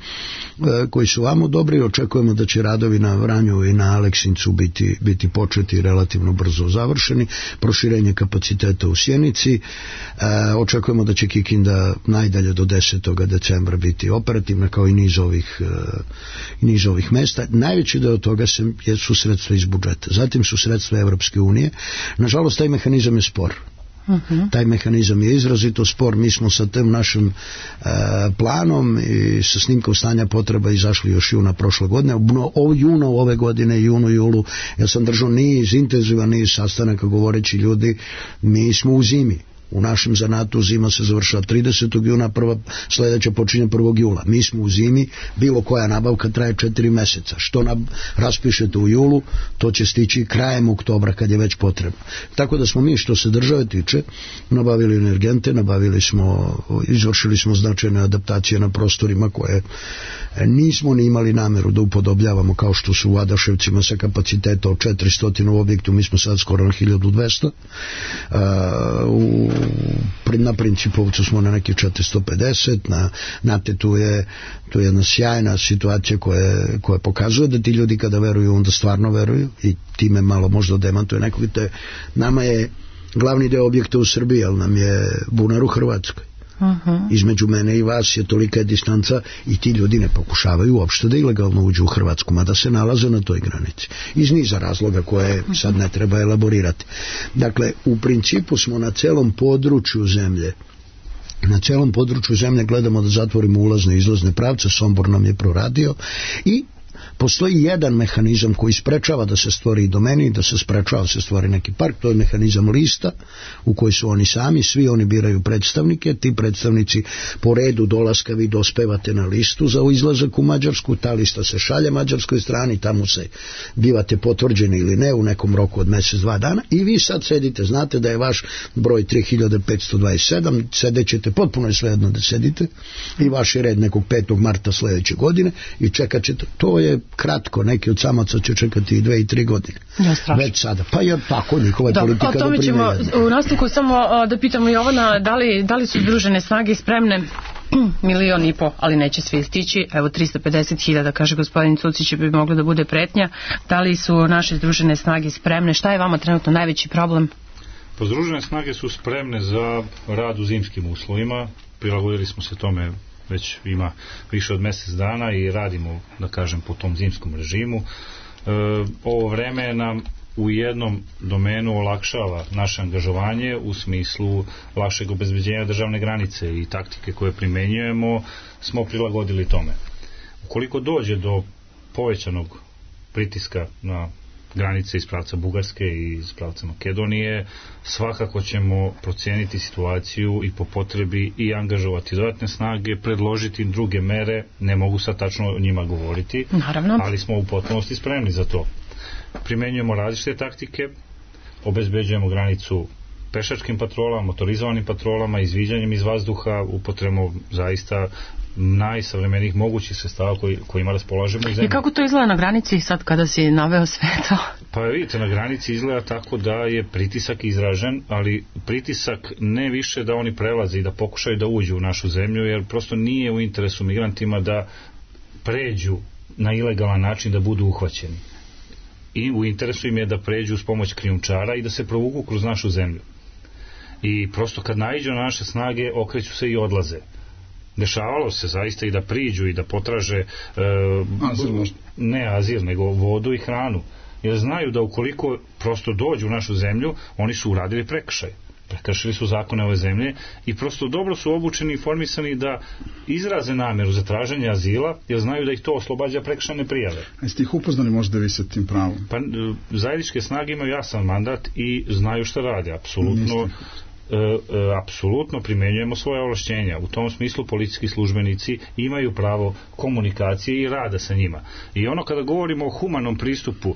koji su ovamo dobri i očekujemo da će radovi na Vranju i na Aleksincu biti, biti početi relativno brzo završeni, proširenje kapaciteta u Sjenici, e, očekujemo da će Kikinda najdalje do desetog decembra biti operativna kao i niz ovih, e, niz ovih mesta. Najveći deo toga se, su sredstva iz budžeta, zatim su sredstva Evropske unije. Nažalost, taj mehanizam je spor. Uh-huh. Taj mehanizam je izrazito spor. Mi smo sa tim našim e, planom i sa snimkom stanja potreba izašli još juna prošle godine. O junu ove godine, junu, julu, ja sam držao niz, intenzivan niz sastanaka govoreći ljudi, mi smo u zimi. U našem zanatu zima se završava tridesetog juna, prva, sledeća počinje prvog jula. Mi smo u zimi, bilo koja nabavka traje četiri meseca. Što nab, raspišete u julu, to će stići krajem oktobra kad je već potrebno. Tako da smo mi, što se države tiče, nabavili energente, nabavili smo, izvršili smo značajne adaptacije na prostorima koje nismo ni imali nameru da upodobljavamo, kao što su u Adaševcima sa kapaciteta od četiristo u objektu, mi smo sad skoro na hiljadu dvesta. Uh, u na Principovcu smo na neki četiristo pedeset, na, znate, tu je, tu je jedna sjajna situacija koja, koja pokazuje da ti ljudi kada veruju, onda stvarno veruju i time malo možda demantuje nekog. Te, nama je glavni deo objekta u Srbiji, ali nam je bunar u Hrvatskoj. Uh-huh. Između mene i vas je tolika je distanca i ti ljudi ne pokušavaju uopšte da ilegalno uđu u Hrvatsku, mada se nalaze na toj granici iz niza razloga koje sad ne treba elaborirati. Dakle, u principu smo na celom području zemlje na celom području zemlje gledamo da zatvorimo ulazne i izlazne pravce. Sombor nam je proradio i postoji jedan mehanizam koji sprečava da se stvori domeni, da se sprečava da se stvori neki park, to je mehanizam lista u koji su oni sami, svi oni biraju predstavnike, ti predstavnici po redu dolaska vi dospevate na listu za izlazak u Mađarsku, ta lista se šalje mađarskoj strani, tamo se bivate potvrđeni ili ne u nekom roku od mesec, dva dana i vi sad sedite, znate da je vaš broj tri hiljade petsto dvadeset sedam, sedećete, potpuno je svejedno da sedite i vaš je red nekog petog marta sledeće godine i čekat ćete, to je kratko, neki od samaca će čekati i dve i tri godine. Ja, već sada. Pa je tako, njihova je politika. O tome ćemo u nastavku samo da pitamo Jovana, da li, da li su Združene snage spremne milion i po, ali neće svi stići. Evo tristo pedeset hiljada, kaže gospodin Cucić, bi moglo da bude pretnja. Da li su naše združene snage spremne? Šta je vama trenutno najveći problem? Pa združene snage su spremne za rad u zimskim uslovima. Prilagodili smo se tome već ima više od mjesec dana i radimo, da kažem, po tom zimskom režimu. E, ovo vreme nam u jednom domenu olakšava naše angažovanje u smislu lakšeg obezbeđenja državne granice i taktike koje primenjujemo smo prilagodili tome. Ukoliko dođe do povećanog pritiska na granice iz pravca Bugarske i iz pravca Makedonije, svakako ćemo procijeniti situaciju i po potrebi i angažovati dodatne snage, predložiti druge mere, ne mogu sad tačno o njima govoriti, naravno, ali smo u potpunosti spremni za to. Primenjujemo različite taktike, obezbeđujemo granicu pešačkim patrolama, motorizovanim patrolama, izviđanjem iz vazduha, upotrebom zaista najsavremenijih mogućih sredstava koji, kojima raspolažemo u zemlji. I kako to izgleda na granici sad kada si naveo sve to? Pa vidite, na granici izgleda tako da je pritisak izražen, ali pritisak ne više da oni prelaze i da pokušaju da uđu u našu zemlju, jer prosto nije u interesu migrantima da pređu na ilegalan način, da budu uhvaćeni. I u interesu im je da pređu s pomoć krijumčara i da se provuku kroz našu zemlju. I prosto kad naiđu na naše snage, okreću se i odlaze. Dešavalo se zaista i da priđu i da potraže e, azil, ne azil, nego vodu i hranu. Jer znaju da ukoliko prosto dođu u našu zemlju, oni su uradili prekršaj. Prekršili su zakone ove zemlje i prosto dobro su obučeni i informisani da izraze namjeru za traženje azila, jer znaju da ih to oslobađa prekršajne prijave. A jeste ih upoznali možda vi sa tim pravom? Pa zajedničke snage imaju jasan mandat i znaju šta rade, apsolutno. E, e, apsolutno primenjujemo svoje ovlašćenja. U tom smislu policijski službenici imaju pravo komunikacije i rada sa njima. I ono kada govorimo o humanom pristupu,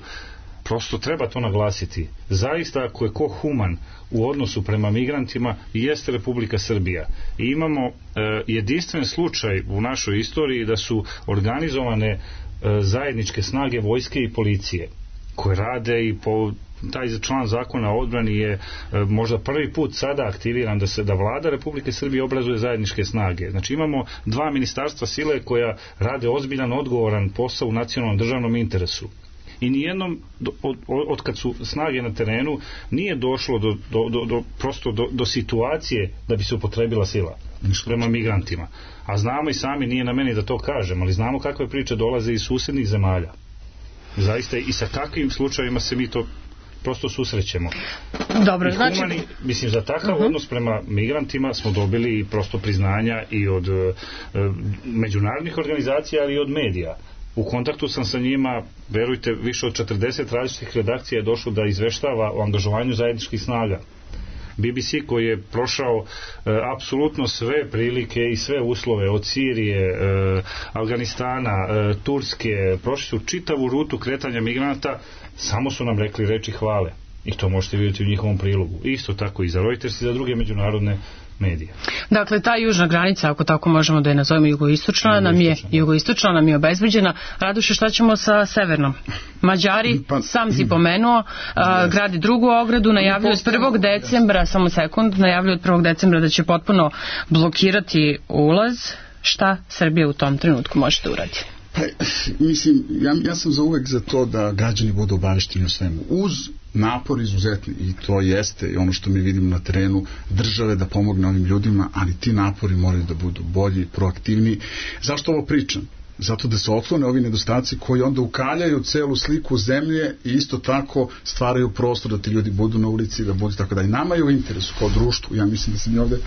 prosto treba to naglasiti. Zaista, ako je ko human u odnosu prema migrantima, jeste Republika Srbija. I imamo e, jedinstven slučaj u našoj istoriji da su organizovane e, zajedničke snage vojske i policije koje rade i po taj član zakona o odbrani je e, možda prvi put sada aktiviran da se da vlada Republike Srbije obrazuje zajedničke snage. Znači imamo dva ministarstva sile koja rade ozbiljan, odgovoran posao u nacionalnom državnom interesu. I nijednom od, od kad su snage na terenu nije došlo do, do, do, do, prosto do, do situacije da bi se upotrebila sila prema migrantima. A znamo i sami, nije na meni da to kažem, ali znamo kakve priče dolaze iz susednih zemalja. Zaista i sa kakvim slučajima se mi to prosto susrećemo. Dobro, I znači... humani, mislim, za takav uh-huh. odnos prema migrantima smo dobili prosto priznanja i od e, međunarodnih organizacija, ali i od medija. U kontaktu sam sa njima, verujte, više od četrdeset različitih redakcija je došlo da izveštava o angažovanju zajedničkih snaga. B B C koji je prošao e, apsolutno sve prilike i sve uslove od Sirije, e, Afganistana, e, Turske, prošli su čitavu rutu kretanja migranata, samo su nam rekli reči hvale. I to možete vidjeti u njihovom prilogu. Isto tako i za Reuters i za druge međunarodne medije. Dakle, ta južna granica, ako tako možemo da je nazovemo jugoistočna, nam je jugoistočna nam je obezbeđena. Raduše, šta ćemo sa severnom? Mađari, pa, sam si pomenuo, a, gradi drugu ogradu, najavljuju od prvog decembra, samo sekund, najavljuju od prvog decembra da će potpuno blokirati ulaz. Šta Srbija u tom trenutku može da uradi? Pa, mislim, ja, ja sam za uvek za to da građani budu obavešteni o svemu. Uz napor izuzetni, i to jeste i ono što mi vidimo na terenu, države da pomogne ovim ljudima, ali ti napori moraju da budu bolji, proaktivni. Zašto ovo pričam? Zato da se otklone ovi nedostaci koji onda ukaljaju celu sliku zemlje i isto tako stvaraju prostor da ti ljudi budu na ulici, da budu tako da i nama je u interesu kao društvu. Ja mislim da se mi ovde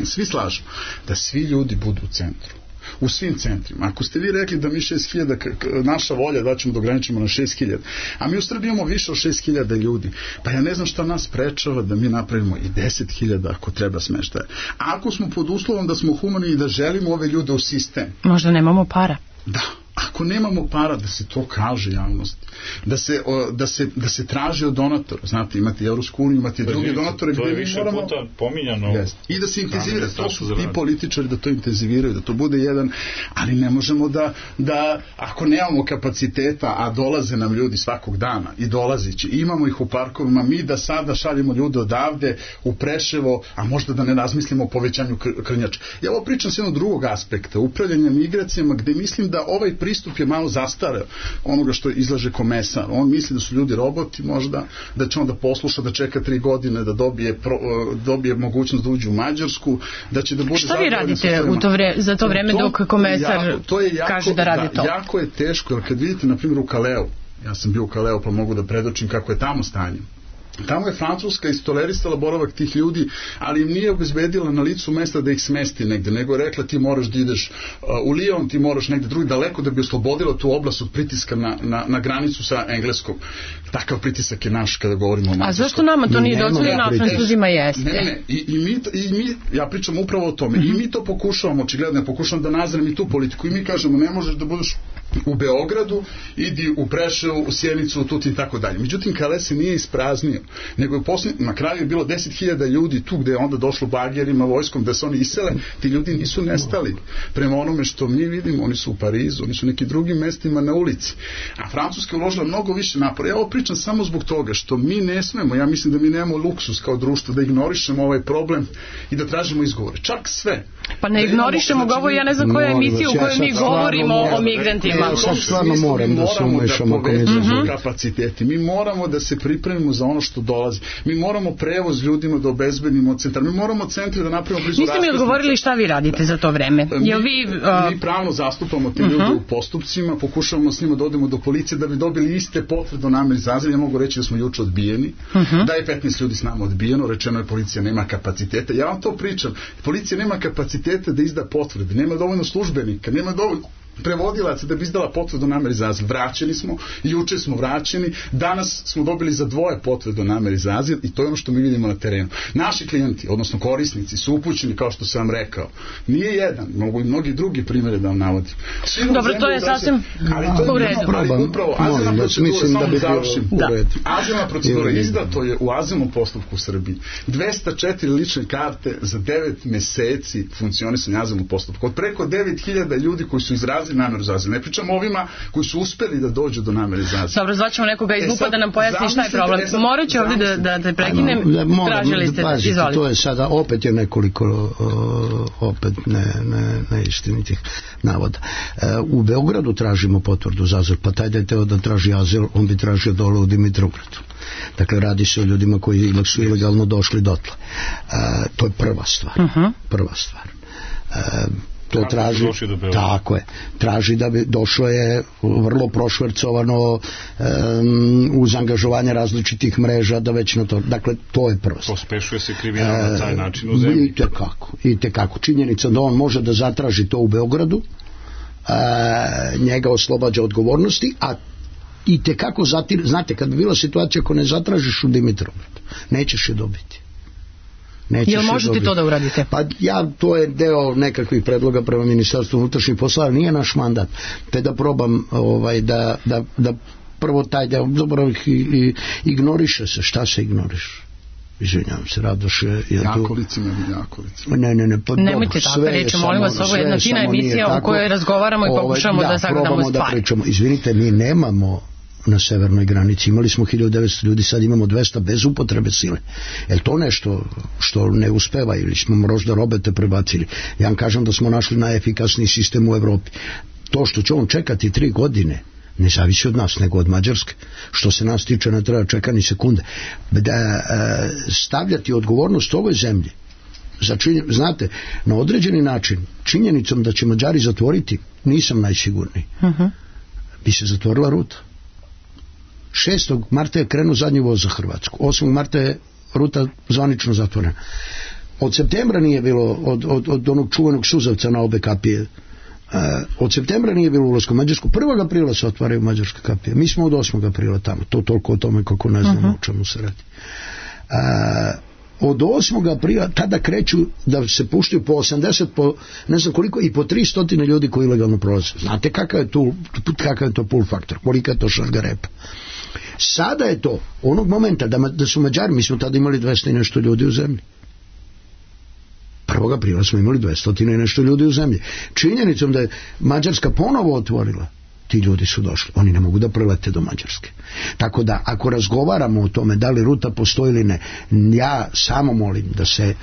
svi slažemo da svi ljudi budu u centru. U svim centrima. Ako ste vi rekli da mi šest hiljada, naša volja da ćemo da ograničimo na šest hiljada, a mi u Srbiji imamo više od šest hiljada ljudi, pa ja ne znam šta nas sprečava da mi napravimo i deset hiljada ako treba smeštaja. A ako smo pod uslovom da smo humani i da želimo ove ljude u sistem. Možda nemamo para. Da. Ako ako nemamo para da se to kaže javnosti, da se, o, da se, da se traži od donatora, znate, imate Evropsku uniju, imate pa, druge donatore, to je gdje više moramo... puta pominjano. Yes. I da se intenzivira, to su i političari da to intenziviraju, da to bude jedan, ali ne možemo da, da ako nemamo kapaciteta, a dolaze nam ljudi svakog dana i dolazići, imamo ih u parkovima, mi da sada šaljemo ljude odavde u Preševo, a možda da ne razmislimo o povećanju Krnjača. Ja ovo pričam s jednog drugog aspekta, upravljanja migracijama, gde mislim da ovaj pristup je malo zastareo onoga što izlaže Komesar. On misli da su ljudi roboti možda, da će on da posluša, da čeka tri godine da dobije, pro, dobije mogućnost da uđe u Mađarsku, da će da bude... Šta vi radite u to vre, za to vreme to, dok Komesar jako, to je jako, kaže da radi da, to? Jako je teško, jer kad vidite, na primjer, u Kaleu, ja sam bio u Kaleu pa mogu da predočim kako je tamo stanje. Tamo je Francuska istolerisala boravak tih ljudi, ali im nije obezbedila na licu mesta da ih smesti negde, nego je rekla ti moraš da ideš uh, u Lyon, ti moraš negde drugi daleko da bi oslobodila tu oblast od pritiska na, na, na granicu sa Engleskom. Takav pritisak je naš kada govorimo o Mađarskom. A zašto nama to nije dozvoljeno, a Francuzima jeste? Ne, ne, i, i, mi, i mi, ja pričam upravo o tome, mm-hmm. i mi to pokušavamo, očigledno, pokušavam da nazrem i tu politiku, i mi kažemo ne možeš da budeš u Beogradu, idi u Preševu, u Sjenicu, u Tutin i tako dalje. Međutim, Kale se nije ispraznio, nego je posljednji, na kraju je bilo deset hiljada ljudi tu gde je onda došlo bagerima, vojskom, da se oni isele, ti ljudi nisu nestali. Prema onome što mi vidimo, oni su u Parizu, oni su u nekim drugim mestima na ulici. A Francuska je uložila mnogo više napora. Ja ovo pričam samo zbog toga što mi ne smemo, ja mislim da mi nemamo luksus kao društvo da ignorišemo ovaj problem i da tražimo izgovore. Čak sve. Pa ne ignorišemo ga, ovo ja ne znam koja emisija u kojoj mi govorimo o migrantima. Ja sad stvarno moram da se umešamo ako ne znam kapaciteti. Mi moramo da se pripremimo za ono što dolazi. Mi moramo prevoz ljudima da obezbedimo od centra. Mi moramo centre da napravimo blizu raskrsnice. Niste mi odgovorili šta vi radite za to vreme. Jel vi, uh... mi pravno zastupamo te ljude uh-huh. u postupcima, pokušavamo s njima da odemo do policije da bi dobili iste potvrde o nameri za azil. Ja mogu reći da smo juče odbijeni, uh-huh. da je petnaest ljudi s nama odbijeno, rečeno je policija nema kapaciteta. Ja vam to pričam. Policija nema kapaciteta da izda potvrde, nema dovoljno službenika, nema dovoljno prevodilaca da bi izdala potvrdu o nameri za azil. Vraćeni smo, juče smo vraćeni, danas smo dobili za dvoje potvrdu o nameri za azil i to je ono što mi vidimo na terenu. Naši klijenti, odnosno korisnici, su upućeni, kao što sam vam rekao. Nije jedan, mogu i mnogi drugi primjere da vam navodim. Dobro, to je sasvim u redu. Ali upravo, azilna procedura, samo da završim. Azilna procedura izdato je u azilnom postupku u Srbiji. dvesta četiri lične karte za devet meseci funkcionisanja azilnog postupka. Od preko devet hiljada ljudi koji su izrazili nameru za azil. Ne pričamo ovima koji su uspeli da dođu do namere za azil. Dobro, zvaćemo nekoga iz MUP-a da nam pojasni šta je problem. Morat ću ovdje da, da te prekinem. Tražili ste, izvolite. To je sada opet je nekoliko uh, opet ne, ne, neistinitih navoda. Uh, u Beogradu tražimo potvrdu za azil, pa taj da je teo da traži azil, on bi tražio dole u Dimitrovgradu. Dakle, radi se o ljudima koji su ilegalno došli dotle. Uh, to je prva stvar. Uh-huh. Prva stvar. Uh, to kako traži, tako je, traži da bi došlo je vrlo prošvercovano um, uz angažovanje različitih mreža da već na to, dakle to je prvo. Pospešuje se kriminal na taj način u zemlji. I tekako, i tekako. Činjenica da on može da zatraži to u Beogradu, uh, njega oslobađa odgovornosti, a i tekako zatir, znate, kad bi bila situacija ako ne zatražiš u Dimitrovgradu, nećeš je dobiti. Jel možete to da uradite? Pa ja, to je deo nekakvih predloga prema Ministarstvu unutrašnjih poslova, nije naš mandat, te da probam ovaj, da, da, da prvo taj deo, dobro, i, i, ignoriše se, šta se ignoriše? Izvinjavam se, Radoše. Jakolicima ili Jakolicima. Ne, ne, ne. Pa nemojte tako reći, molim vas, ovo je jedna fina emisija u kojoj razgovaramo i pokušamo ovaj, da, da sagledamo stvari. Da pričamo. Izvinite, mi nemamo na severnoj granici, imali smo hiljadu devetsto ljudi, sad imamo dvesta bez upotrebe sile. Je li to nešto što ne uspeva ili smo možda robete prebacili? Ja vam kažem da smo našli najefikasniji sistem u Evropi. To što će on čekati tri godine ne zavisi od nas, nego od Mađarske. Što se nas tiče, ne treba čekati ni sekunde. Da e, stavljati odgovornost ovoj zemlji za činjen, znate, na određeni način činjenicom da će Mađari zatvoriti, nisam najsigurniji. Uh-huh. Bi se zatvorila ruta. šestog marta je krenuo zadnji voz za Hrvatsku. osmog marta je ruta zvanično zatvorena. Od septembra nije bilo, od, od, od onog čuvenog suzavca na obe kapije, uh, od septembra nije bilo ulazka u Mađarsku. prvog aprila se otvaraju mađarske kapije. Mi smo od osmog aprila tamo. To toliko o tome kako ne znamo uh-huh. o čemu se radi. Uh, od osmog aprila tada kreću da se puštaju po osamdeset, po ne znam koliko, i po tristo ljudi koji ilegalno prolaze. Znate kakav je, tu, kakav je to pull faktor, kolika je to šarga repa. Sada je to, onog momenta da, da su Mađari, mi smo tada imali dvesta i nešto ljudi u zemlji. prvog aprila smo imali dvesta i nešto ljudi u zemlji. Činjenicom da je Mađarska ponovo otvorila, ti ljudi su došli. Oni ne mogu da prelete do Mađarske. Tako da, ako razgovaramo o tome da li ruta postoji ili ne, ja samo molim da se e,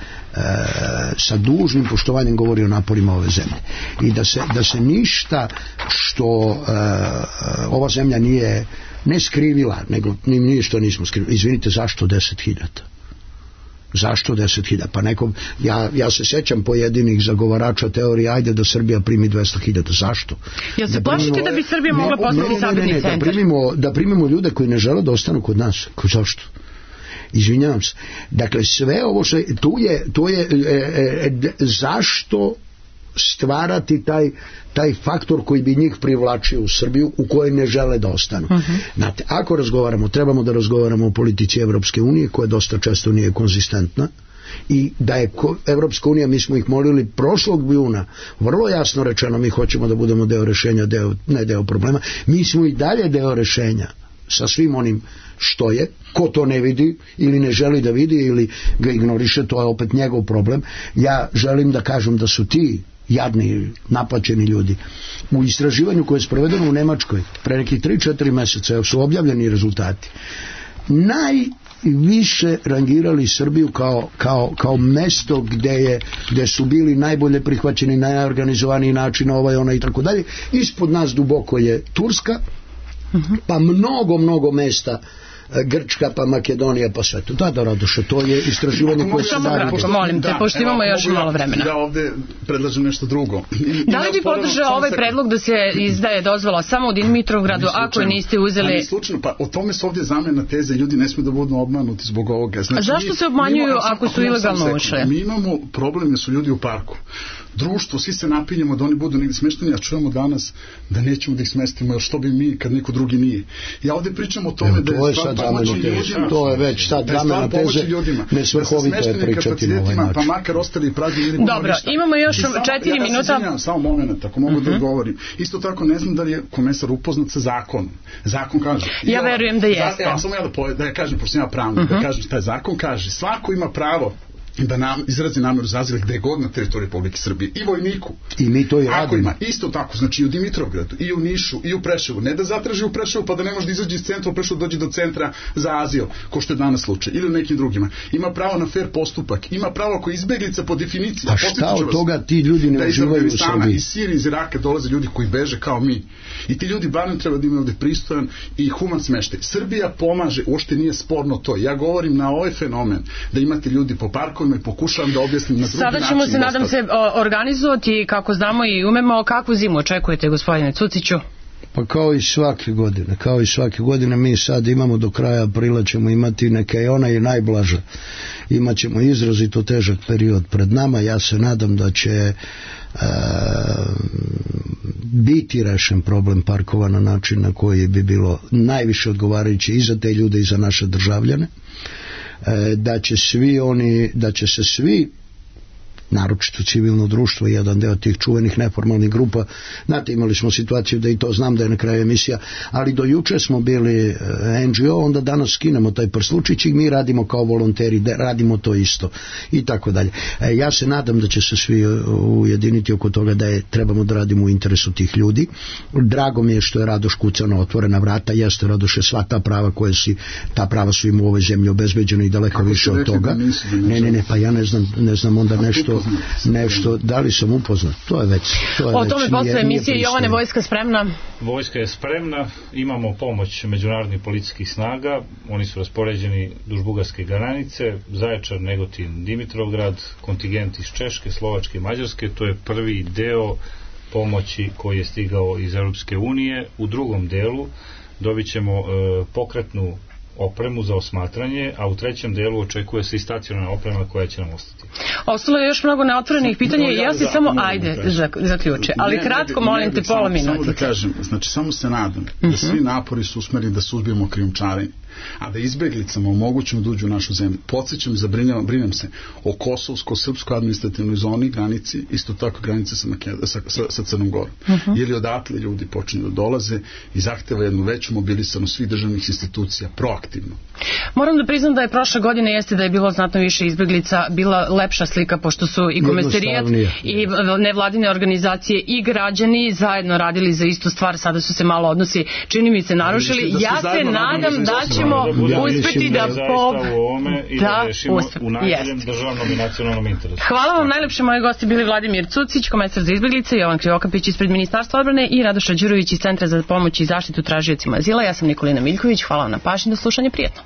sa dužnim poštovanjem govori o naporima ove zemlje. I da se, da se ništa što e, ova zemlja nije ne skrivila, nego nije što nismo skrivili. Izvinite, zašto deset hiljada? Zašto deset hiljada? Pa nekom, ja, ja se sećam pojedinih zagovarača teorije, ajde da Srbija primi dvesta hiljada. Zašto? Jel se plašite da bi Srbija mogla postati sabirni centar? Da primimo, da primimo ljude koji ne žele da ostanu kod nas. Zašto? Izvinjavam se. Dakle, sve ovo što tu je, tu je e, e, zašto stvarati taj, taj faktor koji bi njih privlačio u Srbiju, u kojoj ne žele da ostanu. Uh-huh. Znate, ako razgovaramo, trebamo da razgovaramo o politici Evropske unije, koja dosta često nije konzistentna, i da je Evropska unija, mi smo ih molili prošlog juna, vrlo jasno rečeno, mi hoćemo da budemo deo rešenja, deo, ne deo problema, mi smo i dalje deo rešenja sa svim onim što je, ko to ne vidi ili ne želi da vidi ili ga ignoriše, to je opet njegov problem. Ja želim da kažem da su ti jadni, naplaćeni ljudi u istraživanju koje je sprovedeno u Nemačkoj pre nekih tri četiri meseca su objavljeni rezultati, najviše rangirali Srbiju kao, kao, kao mesto gde, je, gde su bili najbolje prihvaćeni, najorganizovaniji način, ovaj, ona i tako dalje. Ispod nas duboko je Turska, pa mnogo, mnogo mesta, Grčka, pa Makedonija, pa sve to. Da, da, Radoše, to je istraživanje koje se daje. Molim te, pošto imamo još malo vremena. Ja ovde predlažem nešto drugo. Da li bi podržao ovaj predlog da se izdaje dozvola samo u Dimitrovgradu, ako je niste uzeli... Ali slučajno, pa o tome su ovdje zamena teze, ljudi ne smiju da budu obmanuti zbog ovoga. Znači, a zašto se obmanjuju ako su ilegalno ušli? Mi imamo problem da su ljudi u parku. Društvo, svi se napinjemo da oni budu negdje smešteni, a čujemo danas da nećemo da ih smestimo, jer što bi mi kad niko drugi nije. Ja ovdje pričam o tome da je stvar pomoći ljudima. To je već sad zamena teze, nesvrhovito je pričati na ovaj način. Pa makar ostali prazni ili dobro, imamo još četiri minuta. Ja samo moment, ako mogu da odgovorim. Isto tako ne znam da li je komesar upoznat sa zakonom. Zakon kaže... Ja verujem da jeste. Ja samo ja da ja kažem, pošto ja pravnik, da kažem taj zakon kaže, svako ima pravo da nam izrazi nameru za azil gde god na teritoriji Republike Srbije, i vojniku. I mi to i radimo. Ako ima, isto tako, znači i u Dimitrovgradu, i u Nišu, i u Preševu, ne da zatraži u Preševu pa da ne može da izađe iz centra, u Preševu dođe do centra za azil, ko što je danas slučaj, ili u nekim drugima. Ima pravo na fair postupak, ima pravo ako izbeglica po definiciji. A šta od toga ti ljudi ne uživaju u Srbiji? Iz Sirije, iz Iraka dolaze ljudi koji beže kao mi. I ti ljudi barem treba da imaju ovde pristojan i human smeštaj. Srbija pomaže, uopšte nije sporno to. Ja govorim na ovaj fenomen da imate ljudi po parkovima i pokušavam da objasnim na drugi način. Sada ćemo se, nadam se, organizovati kako znamo i umemo. Kakvu zimu očekujete, gospodine Cuciću? Pa kao i svake godine, kao i svake godine mi sad imamo do kraja aprila ćemo imati neke i ona je najblaža. Imaćemo izrazito težak period pred nama. Ja se nadam da će e, biti rešen problem parkova na način na koji bi bilo najviše odgovarajuće i za te ljude i za naše državljane. E, da će svi oni, da će se svi, naročito civilno društvo, jedan deo tih čuvenih neformalnih grupa, znate, imali smo situaciju da i to znam da je na kraju emisija, ali do juče smo bili en dži o, onda danas skinemo taj prslučić i mi radimo kao volonteri, radimo to isto i tako dalje. E, ja se nadam da će se svi ujediniti oko toga da je trebamo da radimo u interesu tih ljudi. Drago mi je što je Radoš kucao na otvorena vrata, jeste Radoše, sva ta prava koje si, ta prava su im u ovoj zemlji obezbeđena i daleko više od toga. Ne, ne, ne, pa ja ne znam, ne znam onda nešto nešto, da li sam upoznat, to je već to je o tome posle emisije. Jovane, vojska spremna? Vojska je spremna, imamo pomoć međunarodnih policijskih snaga, oni su raspoređeni duž bugarske granice, Zaječar, Negotin, Dimitrovgrad, kontingent iz Češke, Slovačke i Mađarske. To je prvi deo pomoći koji je stigao iz Europske unije. U drugom delu dobit ćemo e, pokretnu opremu za osmatranje, a u trećem delu očekuje se i stacionarna oprema koja će nam ostati. Ostalo je još mnogo neotvorenih pitanja i ja se samo, ajde, zaključe, ali kratko, molim te, pola minuta. Samo da kažem, znači samo se nadam da svi napori su usmereni da suzbijemo krijumčarenje, a da izbeglicama omogućimo da uđu u našu zemlju. Podsjećam, zabrinjavam, brinem se o kosovsko-srpskoj administrativnoj zoni, granici, isto tako granice sa, sa, sa, sa Crnom Gorom. Uh-huh. Jer odatle ljudi počinju da dolaze i zahteva jednu veću mobilisanost svih državnih institucija proaktivno. Moram da priznam da je prošle godine jeste da je bilo znatno više izbeglica, bila lepša slika, pošto su i Komesarijat i nevladine organizacije i građani zajedno radili za istu stvar, sada su se malo odnosi, čini mi se, narušili. Da ja se nadam da ćemo da uspeti da po... i da rešimo u najboljem državnom i nacionalnom interesu. Hvala vam, najlepše moji gosti bili Vladimir Cucić, komesar za izbeglice, Jovan Krivokapić ispred Ministarstva odbrane i Radoša Đurović iz Centra za pomoć i zaštitu tražiocima azila. Ja sam Nikolina Miljković, hvala vam na pažnji, do slušanja, prijetno.